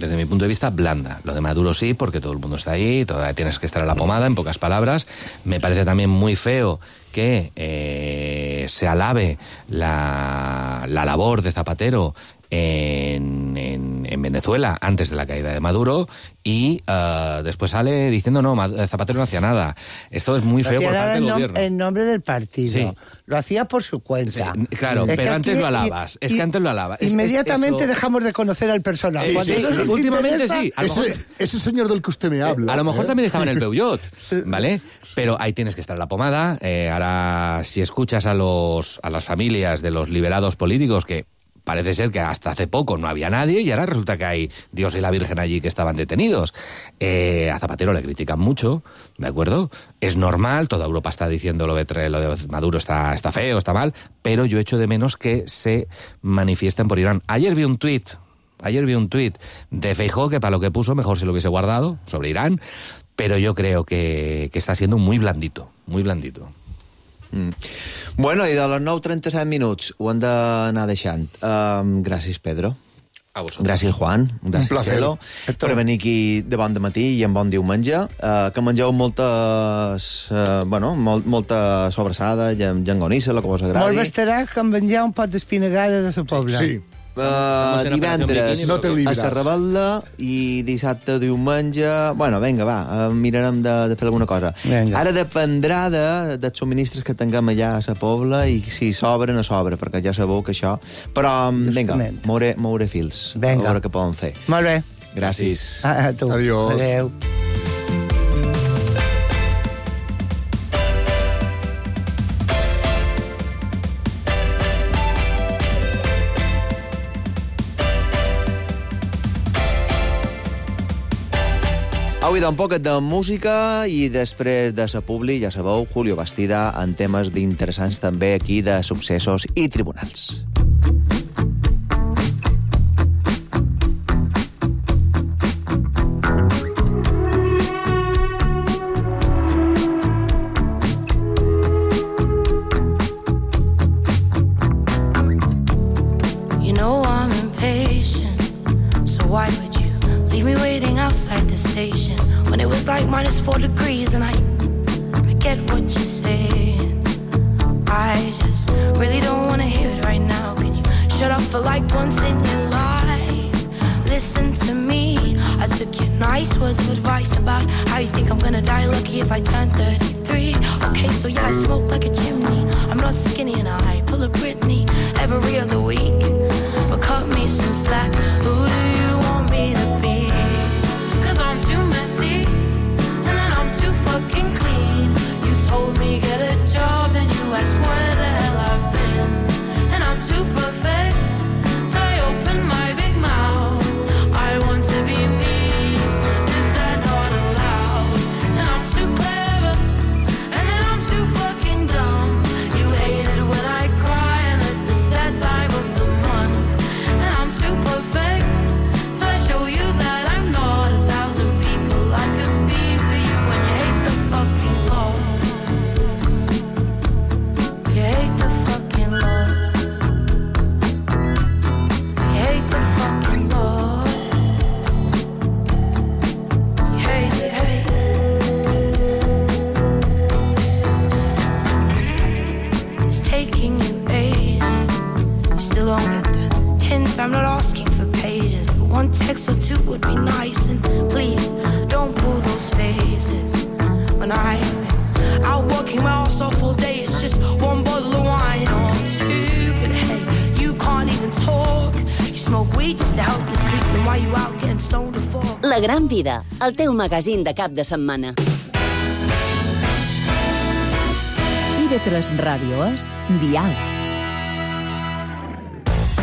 Desde mi punto de vista, blanda. Lo de Maduro sí, porque todo el mundo está ahí, todavía tienes que estar a la pomada, en pocas palabras. Me parece también muy feo que eh, se alabe la, la labor de Zapatero en, en, en Venezuela antes de la caída de Maduro y uh, después sale diciendo no, Zapatero no hacía nada. Esto es muy feo por parte del nom gobierno. En nombre del partido. Sí. Lo hacía por su cuenta. Sí, claro, es pero antes aquí, lo alabas. Y, es que antes lo alabas. Inmediatamente es, es, eso... dejamos de conocer al personaje. Sí, sí, sí, sí. Últimamente sí. A ese, mejor... ese señor del que usted me habla. A lo mejor ¿eh? también estaba en el Peugeot, ¿vale? Pero ahí tienes que estar en la pomada. Eh, ahora, si escuchas a los a las familias de los liberados políticos que parece ser que hasta hace poco no había nadie y ahora resulta que hay Dios y la Virgen allí que estaban detenidos. Eh, a Zapatero le critican mucho, ¿de acuerdo? Es normal, toda Europa está diciendo lo de, lo de Maduro está, está feo, está mal, pero yo echo de menos que se manifiesten por Irán. Ayer vi un tuit, ayer vi un tuit de Feijóo que para lo que puso mejor se lo hubiese guardado sobre Irán, pero yo creo que, que está siendo muy blandito, muy blandito. Mm. Bueno, i de les nou trenta-set minuts ho hem d'anar deixant. Um, gràcies, Pedro. A vosaltres. Gràcies, Juan. Gràcies, Un placer. Chelo, per venir aquí de bon de matí i en bon diumenge. Uh, que mengeu moltes... Uh, bueno, molt, molta sobrassada, llangonissa, el que vos agradi. Molt bastarà que em menjar un pot d'espinagada de la Pobla. Sí. Uh, divendres no te a libraràs. la Rebel·la i dissabte, diumenge... Bueno, vinga, va, uh, mirarem de, de fer alguna cosa. Venga. Ara dependrà de, dels subministres que tinguem allà a la Pobla i si sobren, a sobre, perquè ja sabeu que això... Però, vinga, Justament. mouré, mouré fils. Vinga. A veure què poden fer. Molt bé. Gràcies. A, a tu. Adiós. Adéu. Avui d'un poquet de música i després de sa publi, ja sabeu, Julio Bastida en temes d'interessants també aquí de successos i tribunals. You know I'm impatient, so why would you leave me waiting outside the station when it was like minus four degrees? And I, I get what you're saying. I just really don't want to hear it right now. Can you shut up for like once in your life? Listen to me. I took your nice words of advice about how you think I'm gonna die lucky if I turn thirty-three. Okay, so yeah, I smoke like a chimney. I'm not skinny and I pull a Britney every other week. But cut me some slack. Who do you want me to be? Cause I'm too messy and then I'm too fucking clean. You told me get a job and you asked where the hell I've been. And I'm too perfect till I open my big mouth. I want to be me. Is that not allowed? And I'm too clever and then I'm too fucking dumb. You hate it when I cry unless it's that time of the month. And I'm too perfect till I show you that I'm not a thousand people I could be for you. And you hate the fucking Lord. You hate the fucking Lord. You hate the fucking Lord. You hate, you hate. It's taking you ages. You still don't get the hint. I'm not asking for pages, but one text or two would be nice. And please don't pull those faces. When I've been out working my ass off all day, it's just one bottle of wine or two. But hey, you can't even talk. You smoke weed just to help you sleep. Then why you out getting stoned to fall? La Gran Vida, el teu magazín de cap de setmana. I V tres Ràdio és Dial.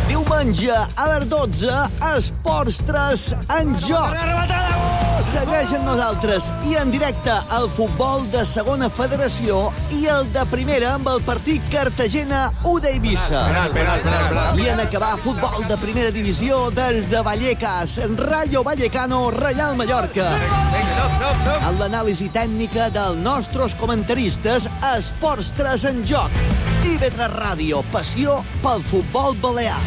Diumenge a les dotze, Esports tres en joc. Segueix amb nosaltres i en directe el futbol de segona federació i el de primera amb el partit Cartagena-U d'Eivissa. I en acabar futbol de primera divisió des de Vallecas, Rayo Vallecano, Reial Mallorca. Amb l'anàlisi tècnica dels nostres comentaristes, Esports tres en joc. I V tres Ràdio, passió pel futbol balear.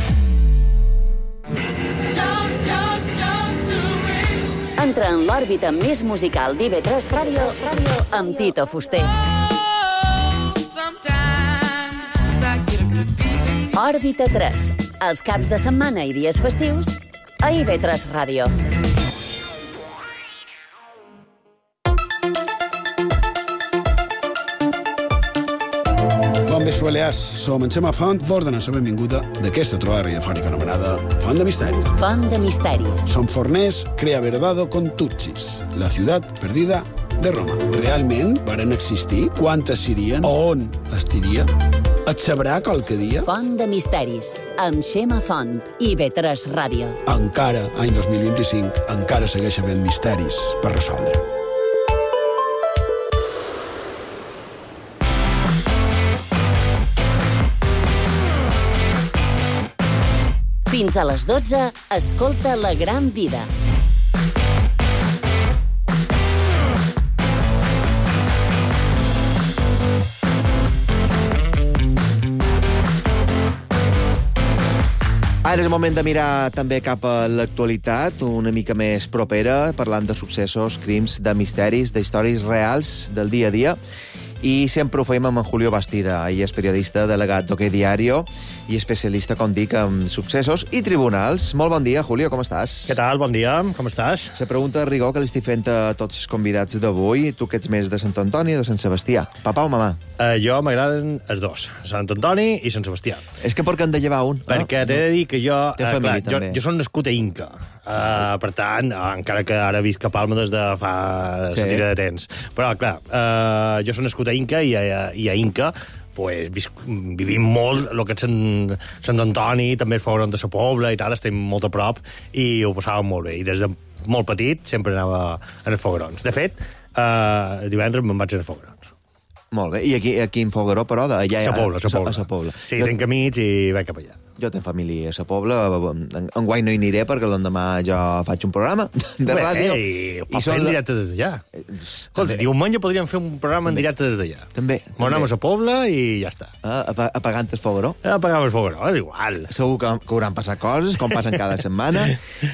Entra en l'òrbita més musical d'I V tres Ràdio amb Tito Fuster. Òrbita tres, els caps de setmana i dies festius a I V tres Ràdio. Bon vespre, Balears. Som en Xema Font, vos donem la benvinguda d'aquesta trobada radiofònica anomenada Font de Misteris. Font de Misteris. Som forners, crea verdado con Tutsis, la ciutat perdida de Roma. Realment varen existir? Quantes serien? On estiria? Et sabrà qualque dia? Font de Misteris, amb Xema Font, I V tres Ràdio. Encara, any dos mil vint-i-cinc, encara segueix havent misteris per resoldre. Fins a les dotze, escolta La Gran Vida. Ara és el moment de mirar també cap a l'actualitat, una mica més propera, parlant de successos, crims, de misteris, d'històries reals del dia a dia. I sempre ho fem amb en Julio Bastida. Ell és periodista, delegat d'Ok Diario i especialista, com dic, en successos i tribunals. Molt bon dia, Julio, com estàs? Què tal? Bon dia, com estàs? La pregunta de rigor que li estic fent a tots els convidats d'avui. Tu que ets més de Sant Antoni o de Sant Sebastià? Papà o mamà? Uh, jo m'agraden els dos, Sant Antoni i Sant Sebastià. És que per què han de llevar un? Perquè ah, t'he de dir que jo... Té uh, família, clar, també. jo, jo soc nascut a Inca. Uh, per tant, uh, encara que ara visc a Palma des de fa sí. la tira de temps. Però, clar, uh, jo soc nascut a Inca i a, i a Inca pues, visc, vivim molt el que és Sant, Sant Antoni, també es fogueron de la Pobla i tal, estem molt a prop i ho passàvem molt bé. I des de molt petit sempre anava a els foguerons. De fet, uh, divendres me'n vaig a els foguerons. Molt bé. I aquí, aquí en Fogueró, però, d'allà... A Sa Pobla, a Sa Pobla. A Sa Pobla. Sí, jo... tenc amics i vaig cap allà. Jo tinc família a Sa Pobla, enguany no hi aniré perquè l'endemà jo faig un programa de Bé, ràdio. I ho pots fer en directe des d'allà. Escolta, diumenge podríem fer un programa en directe des d'allà. També. M'anem a Sa Pobla i ja està. Ah, apagant el Fogueró? Apagant el Fogueró, és igual. Segur que, que hauran passat coses, com passen cada setmana.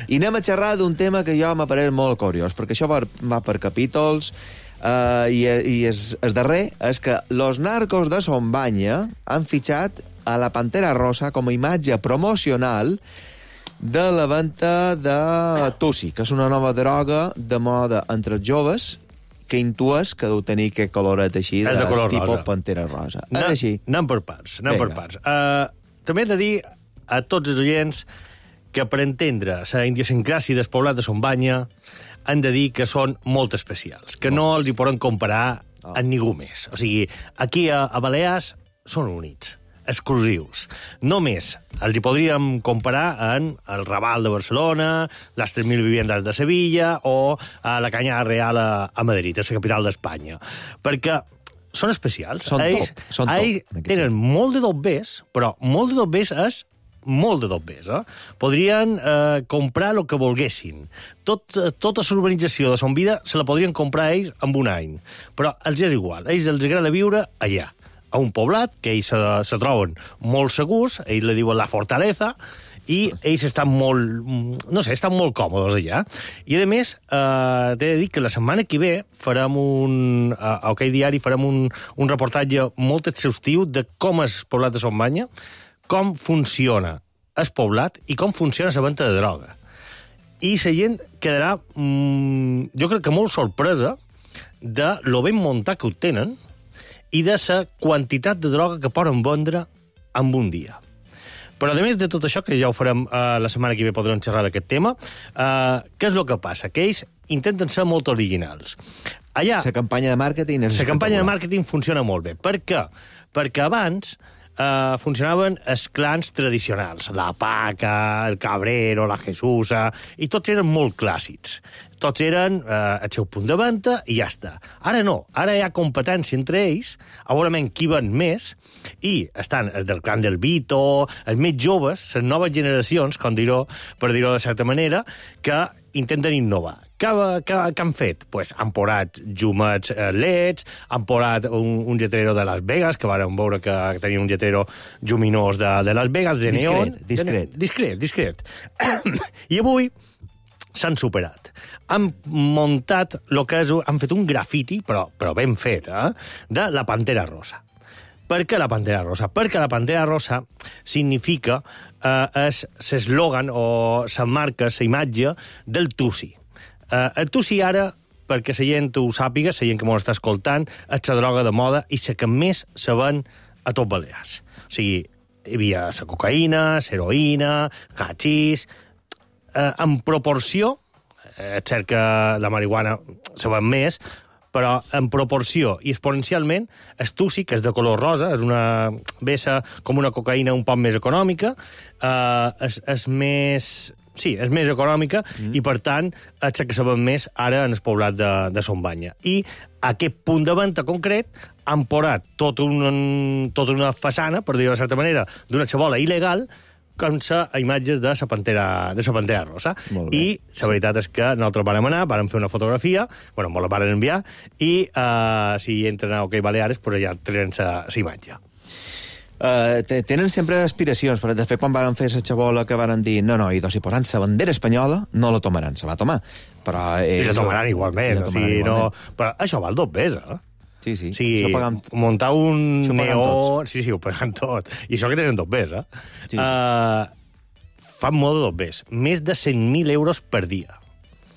I anem a xerrar d'un tema que jo m'ha paret molt curiós, perquè això va, va per capítols. Uh, i, i és, el darrer és que los narcos de Sombanya han fitxat a la Pantera Rosa com a imatge promocional de la venda de Tussi, que és una nova droga de moda entre els joves que intues que deu tenir aquest coloret així, de, de tipus rosa. Pantera Rosa. Anem, és així? Anem per parts. Anem per parts. Uh, també he de dir a tots els oients que per entendre la idiosincràsia del poblat de Sombanya han de dir que són molt especials, que no els hi poden comparar oh. amb ningú més. O sigui, aquí a, a Balears són únics, exclusius. Només els hi podríem comparar amb el Raval de Barcelona, les tres mil viviendes de Sevilla o a la Canyada Real a, a Madrid, a la capital d'Espanya. Perquè són especials. Són ells, top. Són ells top tenen molt de dobbers, però molt de dobbers és molt de dobbers, eh? Podrien eh, comprar el que volguessin. Tot, tota l'urbanització de Son Vida se la podrien comprar ells en un any. Però els és igual. Ells els agrada viure allà, a un poblat, que ells se, se troben molt segurs, ells li diuen la fortaleza, i ells estan molt, no sé, estan molt còmodes allà. I, a més, eh, t'he de dir que la setmana que ve farem un, a OK Diari farem un, un reportatge molt exhaustiu de com és el poblat de Sombanya, com funciona el poblat i com funciona la venda de droga. I la gent quedarà, mmm, jo crec que molt sorpresa de lo ben muntat que ho tenen i de la quantitat de droga que poden vendre en un dia. Però, a més de tot això, que ja ho farem eh, la setmana que ve, podrem xerrar d'aquest tema, eh, què és el que passa? Que ells intenten ser molt originals. Allà... La campanya de màrqueting és La campanya de màrqueting funciona molt bé. Per què? Perquè abans Uh, funcionaven els clans tradicionals, la Paca, el Cabrero, la Jesusa, i tots eren molt clàssics. Tots eren uh, el seu punt de venda i ja està. Ara no, ara hi ha competència entre ells, a veure qui ven més, i estan els del clan del Vito, els més joves, les noves generacions, com dir-ho, per dir-ho de certa manera, que intenten innovar. Què, què, què han fet? Pues han posat llumets eh, leds, han posat un, un lletrero de Las Vegas, que vàrem veure que tenia un lletrero lluminós de, de Las Vegas, de neon. Discret, discret. Discret, discret. I avui s'han superat. Han muntat lo que és, han fet un grafiti, però, però ben fet, eh, de la Pantera Rosa. Per què la Pantera Rosa? Perquè la Pantera Rosa significa eh, és l'eslògan o la marca, la imatge del Tussi. Eh, el Tussi ara, perquè la gent ho sàpiga, la gent que m'ho està escoltant, és la droga de moda i la que més se ven a tot Balears. O sigui, hi havia la cocaïna, l'heroïna, hachís... Eh, en proporció, eh, és cert que la marihuana se ven més, però en proporció i exponencialment, el Tussi, que és de color rosa, és una vessa com una cocaïna un poc més econòmica, eh, és, és més... Sí, és més econòmica mm. i, per tant, és que se ven més ara en el poblat de, de Sombanya. I aquest punt de venda concret han posat tot un, tota una façana, per dir-ho de certa manera, d'una xabola il·legal, com sa imatges de la Pantera, de la Pantera Rosa. I la veritat és que nosaltres vam anar, vam fer una fotografia, bueno, me la van enviar, i uh, si entren a OK Baleares, pues allà tenen la imatge. Uh, tenen sempre aspiracions, però de fet quan van fer la xabola que van dir no, no, i doncs si posaran la bandera espanyola no la tomaran, se va tomar. Però I la tomaran igualment, o sigui, no... Però això val dos ves, eh? Sí, sí. O sigui, pagam... muntar un neó... Tots. Sí, sí, ho paguen tot. I això que tenen dos ves, eh? Sí, sí. Uh, fan molt de dos ves. Més de cent mil euros per dia.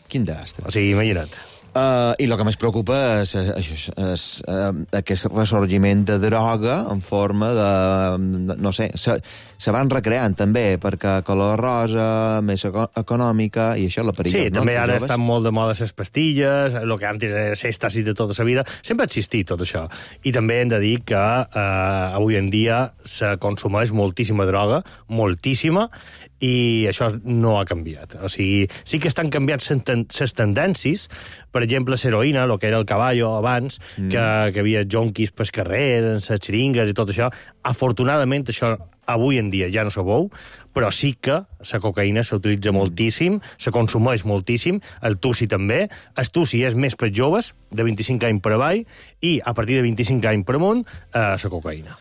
Quin desastre. O sigui, imagina't. Uh, I el que més preocupa és, és, és, és uh, aquest ressorgiment de droga en forma de... no sé, se, se van recreant també, perquè color rosa, més eco econòmica, i això la perillós, sí, no? també ara estan molt de moda les pastilles, el que antes era èxtasis de tota la vida. Sempre ha existit tot això. I també hem de dir que eh, avui en dia se consumeix moltíssima droga, moltíssima, i això no ha canviat. O sigui, sí que estan canviant les tendències, per exemple, l'heroïna, el que era el caballo abans, mm. que, que havia jonquis pel carrer, les xeringues i tot això. Afortunadament, això avui en dia ja no se veu, però sí que la cocaïna s'utilitza moltíssim, se consumeix moltíssim, el tussi també. El tussi és més per joves, de vint-i-cinc anys per avall, i a partir de vint-i-cinc anys per amunt, eh, la cocaïna.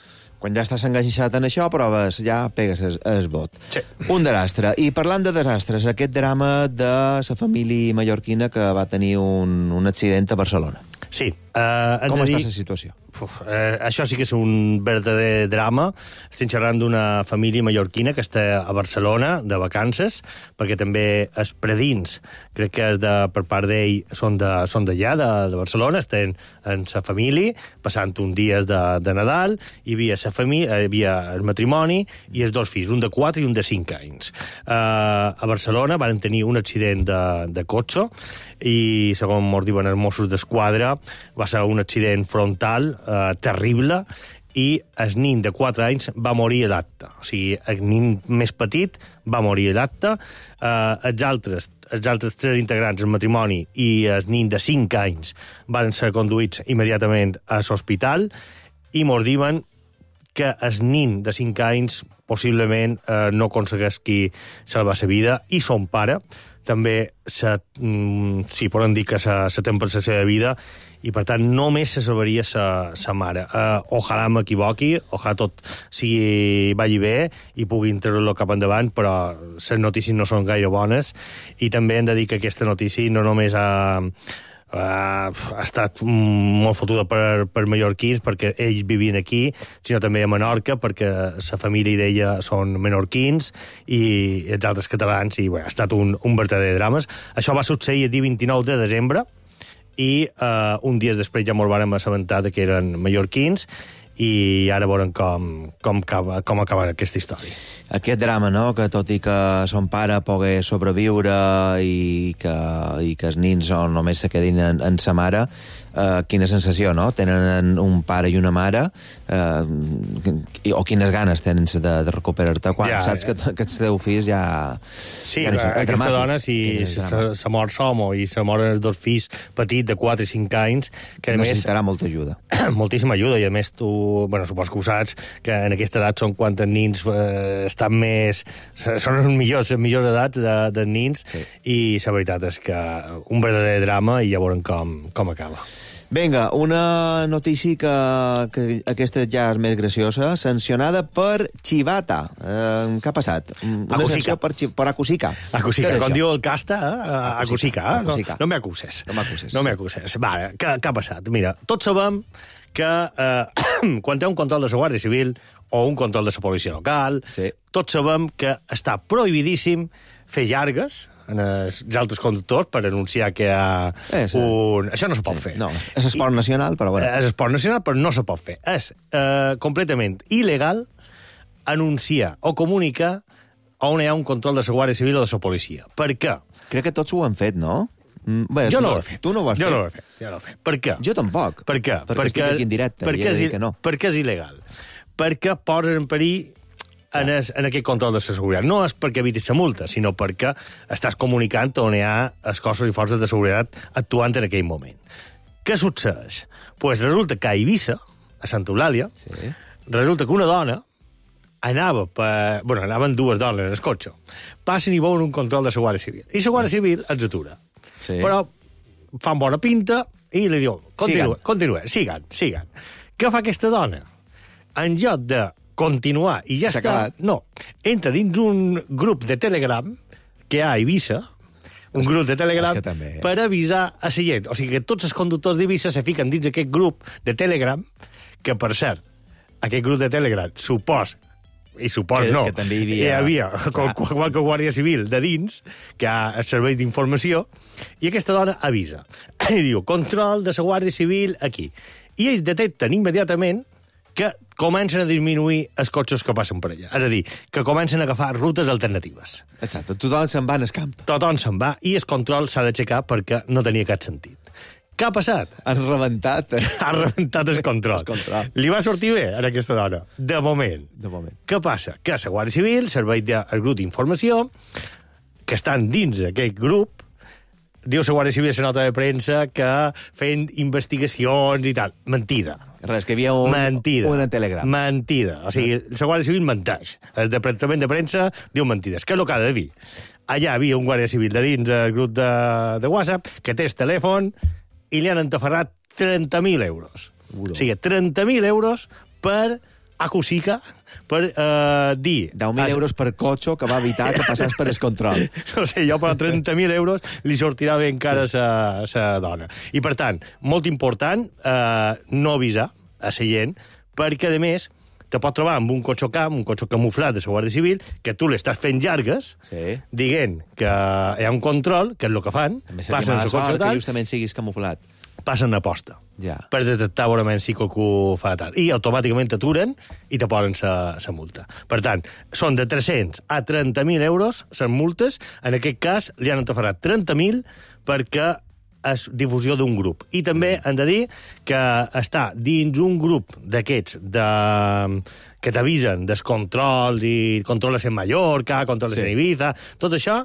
Quan ja estàs enganxat en això, proves, ja pegues el, el vot. Sí. Un desastre. I parlant de desastres, aquest drama de la família mallorquina que va tenir un, un accident a Barcelona. Sí. Uh, Com està dir... la situació? Uf, eh, això sí que és un verdader drama. Estem xerrant d'una família mallorquina que està a Barcelona de vacances, perquè també els predins, crec que és de, per part d'ell, són d'allà, de, de, de Barcelona, estan en sa família, passant un dies de, de Nadal, hi havia, sa família, hi havia el matrimoni i els dos fills, un de quatre i un de cinc anys. Eh, a Barcelona van tenir un accident de, de cotxe i, segons mos diuen els Mossos d'Esquadra, va ser un accident frontal eh, terrible, i el nin de quatre anys va morir a l'acte. O sigui, el nin més petit va morir a l'acte. Eh, els, altres, els altres tres integrants del matrimoni i el nin de cinc anys van ser conduïts immediatament a l'hospital i mos diuen que el nin de cinc anys possiblement eh, no aconsegueix qui salvar la vida, i son pare també se, mm, sí, poden dir que se, se tem per la seva vida, i per tant només se salvaria sa mare. Uh, ojalà m'equivoqui, ojalà tot sigui, vagi bé i puguin treure-lo cap endavant, però les notícies no són gaire bones, i també hem de dir que aquesta notícia no només ha, uh, ha estat molt fotuda per, per mallorquins, perquè ells vivien aquí, sinó també a Menorca, perquè la família d'ella són menorquins i els altres catalans, i bé, ha estat un, un verdader drama. Això va succeir el dia vint-i-nou de desembre, i uh, un dia després ja ens vàrem assabentar que eren mallorquins, i ara veurem com, com, acaba, com acaba aquesta història. Aquest drama, no?, que tot i que son pare pogués sobreviure i que, i que els nins no, només se quedin en, en sa mare, eh, quina sensació, no? Tenen un pare i una mare, eh, o quines ganes tenen de, de recuperar-te quan ja, saps que, que els teus fills ja... Sí, ja no sé, aquesta dramàtic. dona, si se mor Somo i se moren els dos fills petits de quatre i cinc anys, que a més... Necessitarà molta ajuda. Moltíssima ajuda, i a més tu, bueno, supos que ho saps, que en aquesta edat són quan els nins eh, estan més... Són els millors, les millors edats de, dels nins, sí. I la veritat és que un verdader drama, i ja veurem com, com acaba. Vinga, una notícia que, que aquesta ja és més graciosa, sancionada per Chivata. Eh, què ha passat? Una sanció per, per Acusica. Acusica, com diu el casta, eh? Acusica, eh? Acusica. No, no m'acuses. No m'acuses. No m'acuses. Vale, què, què ha passat? Mira, tots sabem que eh, quan hi ha un control de la Guàrdia Civil o un control de la policia local, sí. Tots sabem que està prohibidíssim fer llargues en els altres conductors per anunciar que hi ha eh, sí. un... Això no se pot sí. fer. No, és esport I... nacional, però bueno. És esport nacional, però no se pot fer. És eh, completament il·legal anunciar o comunicar on hi ha un control de la Guàrdia Civil o de la policia. Per què? Crec que tots ho han fet, no? Bé, jo no, no ho he fet. Tu no ho has jo fet? No ho he fet. Jo no ho he fet. Per què? Jo tampoc. Per què? Perquè, perquè estic aquí en directe. Perquè, és, que no. perquè és il·legal. Perquè posen en perill en, es, en aquest control de la seguretat. No és perquè evitis la multa, sinó perquè estàs comunicant on hi ha els cossos i forces de seguretat actuant en aquell moment. Què succeeix? Pues resulta que a Eivissa, a Santa Eulàlia, sí. Resulta que una dona anava per... Bueno, anaven dues dones en el cotxe. Passen i veuen un control de la Guàrdia Civil. I la Guàrdia Civil els atura. Sí. Però fan bona pinta i li diu, continua, continua, sigan, sigan. Què fa aquesta dona? En lloc de continuar i ja S'ha està. acabat. No, entra dins un grup de Telegram que hi ha a Eivissa, un És- grup de Telegram, és que també, eh? per avisar a la gent. O sigui que tots els conductors d'Eivissa se fiquen dins aquest grup de Telegram, que, per cert, aquest grup de Telegram supos, i supos Que- no, que també hi havia- hi havia Clar. qual- qualque guàrdia civil de dins, que ha el servei d'informació, i aquesta dona avisa. I diu, control de la guàrdia civil aquí. I ells detecten immediatament que comencen a disminuir els cotxes que passen per allà. És a dir, que comencen a agafar rutes alternatives. Exacte, tothom se'n va al camp. Tothom se'n va i el control s'ha d'aixecar perquè no tenia cap sentit. Què ha passat? Han rebentat. Eh? Ha rebentat el control. El control. Li va sortir bé a aquesta dona, de moment. De moment. Què passa? Que la Guàrdia Civil, servei del grup d'informació, que estan dins d'aquest grup, diu la Guàrdia Civil a la nota de premsa que fent investigacions i tal. Mentida. Res, que hi havia un, Mentida. un Telegram. Mentida. O sigui, la Guàrdia Civil menteix. El departament de premsa diu mentides. Què és el que ha de dir? Allà havia un Guàrdia Civil de dins el grup de, de WhatsApp que té el telèfon i li han entaferrat trenta mil euros. Uro. O sigui, trenta mil euros per acosica, per eh, dir... deu mil euros per cotxe que va evitar que passés per el control. No sé, jo per trenta mil euros li sortirà bé encara Sí. sa, sa dona. I, per tant, molt important eh, no avisar a la gent, perquè, a més, te pot trobar amb un cotxe camp, un cotxe camuflat de la Guàrdia Civil, que tu l'estàs fent llargues, Sí. dient que hi ha un control, que és el que fan, També seria passen mala el cotxe sort que tal, justament siguis camuflat. passen a posta Ja. per detectar veurament si qualcú fa tal. I automàticament t'aturen i te posen la multa. Per tant, són de tres-cents a trenta mil euros les multes. En aquest cas, li han entaferrat trenta mil perquè és difusió d'un grup. I també han de dir que està dins un grup d'aquests de... que t'avisen dels controls i controles en Mallorca, controles Sí. en Ibiza, tot això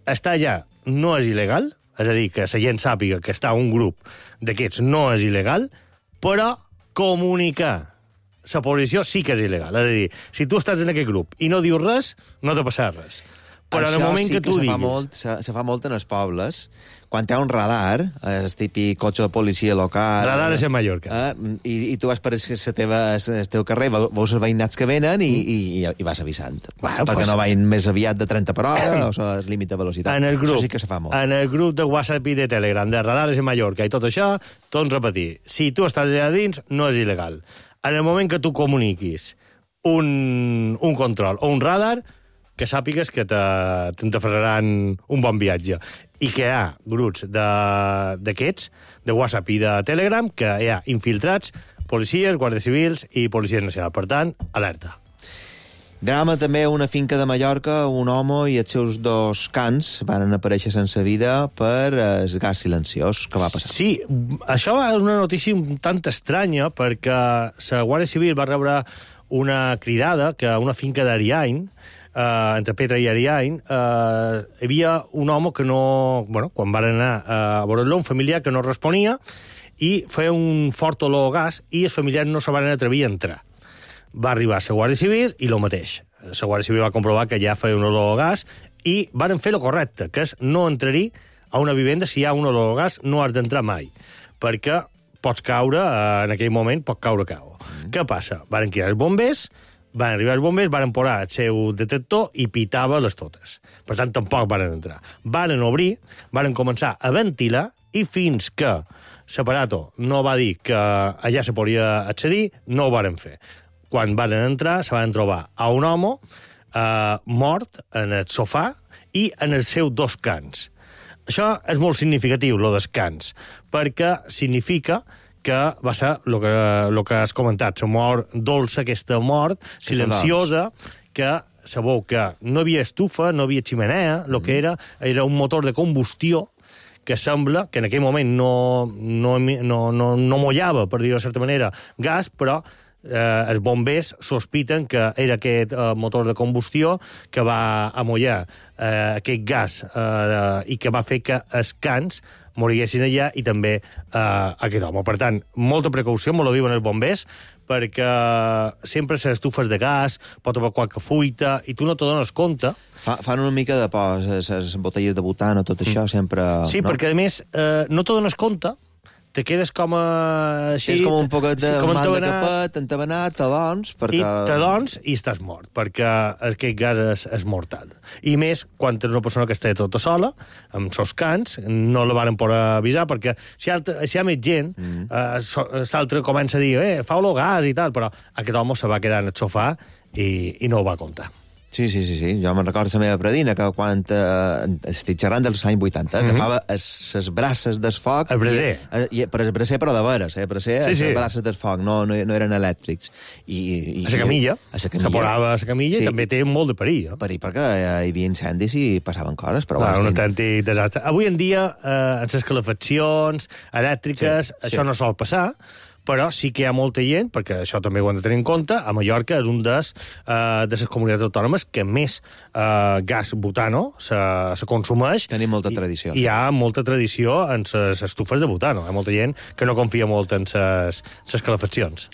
està allà, no és il·legal, és a dir, que la gent sàpiga que està un grup d'aquests no és il·legal, però comunicar la posició sí que és il·legal. És a dir, si tu estàs en aquest grup i no dius res, no te passa res. Però en el moment sí que tu se diguis... Fa molt, se, se fa molt en els pobles. Quan hi ha un radar, el típic cotxe de policia local... Radar és a Mallorca. Eh, i, I tu vas per el teva, el teu carrer, veus els veïnats que venen i, i, i vas avisant. Bueno, perquè pues- no vagin més aviat de trenta per hora o el límit de velocitat. En el grup, Això sí que se fa molt. en el grup de WhatsApp i de Telegram, de Radares a Mallorca i tot això, torno a repetir, si tu estàs allà dins, no és il·legal. En el moment que tu comuniquis un, un control o un radar, que sàpigues que t'entaferraran un bon viatge. I que hi ha grups d'aquests, de, de WhatsApp i de Telegram, que hi ha infiltrats, policies, guàrdies civils i policia nacional. Per tant, alerta. Drama també a una finca de Mallorca, un home i els seus dos cans van aparèixer sense vida per el gas silenciós. Què va passar? Sí, això és una notícia un tant estranya, perquè la Guàrdia Civil va rebre una cridada que a una finca d'Ariany, eh, entre Petra i Ariany, eh, hi havia un home que no... Bueno, quan van anar a veure-lo, un familiar que no responia, i feia un fort olor a gas, i els familiars no se van atrevir a entrar. Va arribar a la Guàrdia Civil i lo mateix. La Guàrdia Civil va comprovar que ja feia un olor a gas i varen fer lo correcte, que és no entrar-hi a una vivenda si hi ha un olor a gas, no has d'entrar mai, perquè pots caure, eh, en aquell moment pot caure cau. Mm. Què passa? Varen cridar els bombers, van arribar els bombers, varen posar el seu detector i pitava les totes. Per tant, tampoc varen entrar. Varen obrir, varen començar a ventilar i fins que l'aparato no va dir que allà se podia accedir, no ho varen fer. Quan varen entrar, se van trobar a un home eh, mort en el sofà i en els seus dos cans. Això és molt significatiu, lo dels cans, perquè significa que va ser el que, lo que has comentat, la mort dolça, aquesta mort silenciosa, que sabeu que no havia estufa, no havia ximenea, el que era era un motor de combustió que sembla que en aquell moment no, no, no, no, no mollava, per dir-ho de certa manera, gas, però eh, els bombers sospiten que era aquest eh, motor de combustió que va amollar eh, aquest gas eh, i que va fer que els cans moriguessin allà i també eh, aquest home. Per tant, molta precaució, me lo diuen els bombers, perquè sempre les estufes de gas, pot haver qualque fuita, i tu no te dones compte. Fa, fan una mica de por, les botelles de butano, tot això, sempre... Sí, no? perquè, a més, eh, no te dones compte te quedes com a... Així, és com un poquet de sí, mal de capet, entabanat, t'adons, perquè... I t'adons i estàs mort, perquè aquest gas és, és mortal. I més, quan tens una persona que està tota sola, amb sos cants, no la van poder avisar, perquè si, altra, si hi ha més gent, mm. eh, l'altre comença a dir, eh, fa-lo gas i tal, però aquest home se va quedar en el sofà i, i no ho va comptar. Sí, sí, sí, sí. Jo me'n recordo la meva predina, que quan eh, estic xerrant dels anys vuitanta, mm -hmm. agafava les braces del foc... El braser. I, i, però el braser, però de veres, eh? El braser, sí, sí. les braces del foc, no, no, no eren elèctrics. I, i, a la camilla. A la camilla. Se posava a la camilla sí. i també té molt de perill. Eh? Perill, perquè hi havia incendis i passaven coses, però... Clar, bueno, un autèntic desastre. Avui en dia, eh, en les calefaccions elèctriques, sí, això sí. no sol passar, però sí que hi ha molta gent, perquè això també ho hem de tenir en compte, a Mallorca és un des, uh, de les comunitats autònomes que més uh, gas butano se, se consumeix. Tenim molta tradició. I hi ha molta tradició en les estufes de butano. Hi ha molta gent que no confia molt en les calefaccions.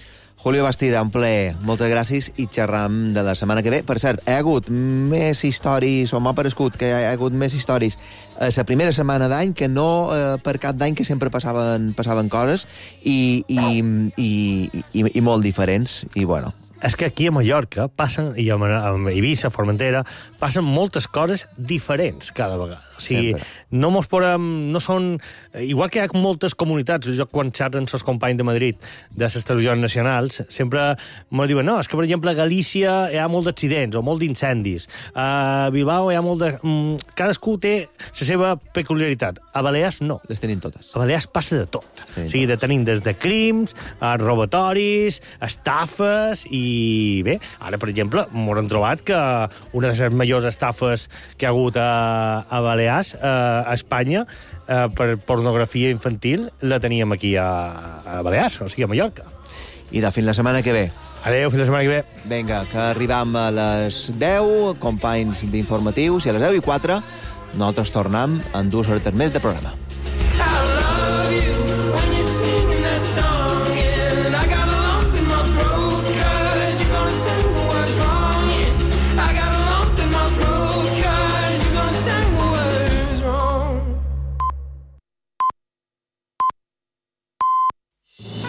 Julio Bastida, un plaer. Moltes gràcies i xerram de la setmana que ve. Per cert, hi ha hagut més històries, o m'ha parescut que hi ha hagut més històries a la primera setmana d'any que no eh, per cap d'any, que sempre passaven, passaven coses i, i, i, i, i molt diferents. I, bueno... És que aquí a Mallorca passen, i a Eivissa, Formentera, passen moltes coses diferents cada vegada. O sigui, sempre. no mos podem... No són... Igual que hi ha moltes comunitats, jo quan xerren els companys de Madrid de les televisions nacionals, sempre mos diuen, no, és que, per exemple, a Galícia hi ha molt d'accidents o molt d'incendis. A Bilbao hi ha molt de... Cadascú té la seva peculiaritat. A Balears, no. Les tenim totes. A Balears passa de tot. O sigui, de tenim des de crims, a robatoris, estafes i I bé, ara, per exemple, m'ho han trobat que una de les millors estafes que ha hagut a, a Balears, a, a Espanya, eh, per pornografia infantil, la teníem aquí a, a Balears, o sigui, a Mallorca. I de fins la setmana que ve. Adéu, fins la setmana que ve. Vinga, que arribam a les deu, companys d'informatius, i a les deu i quatre nosaltres tornem en dues hores més de programa.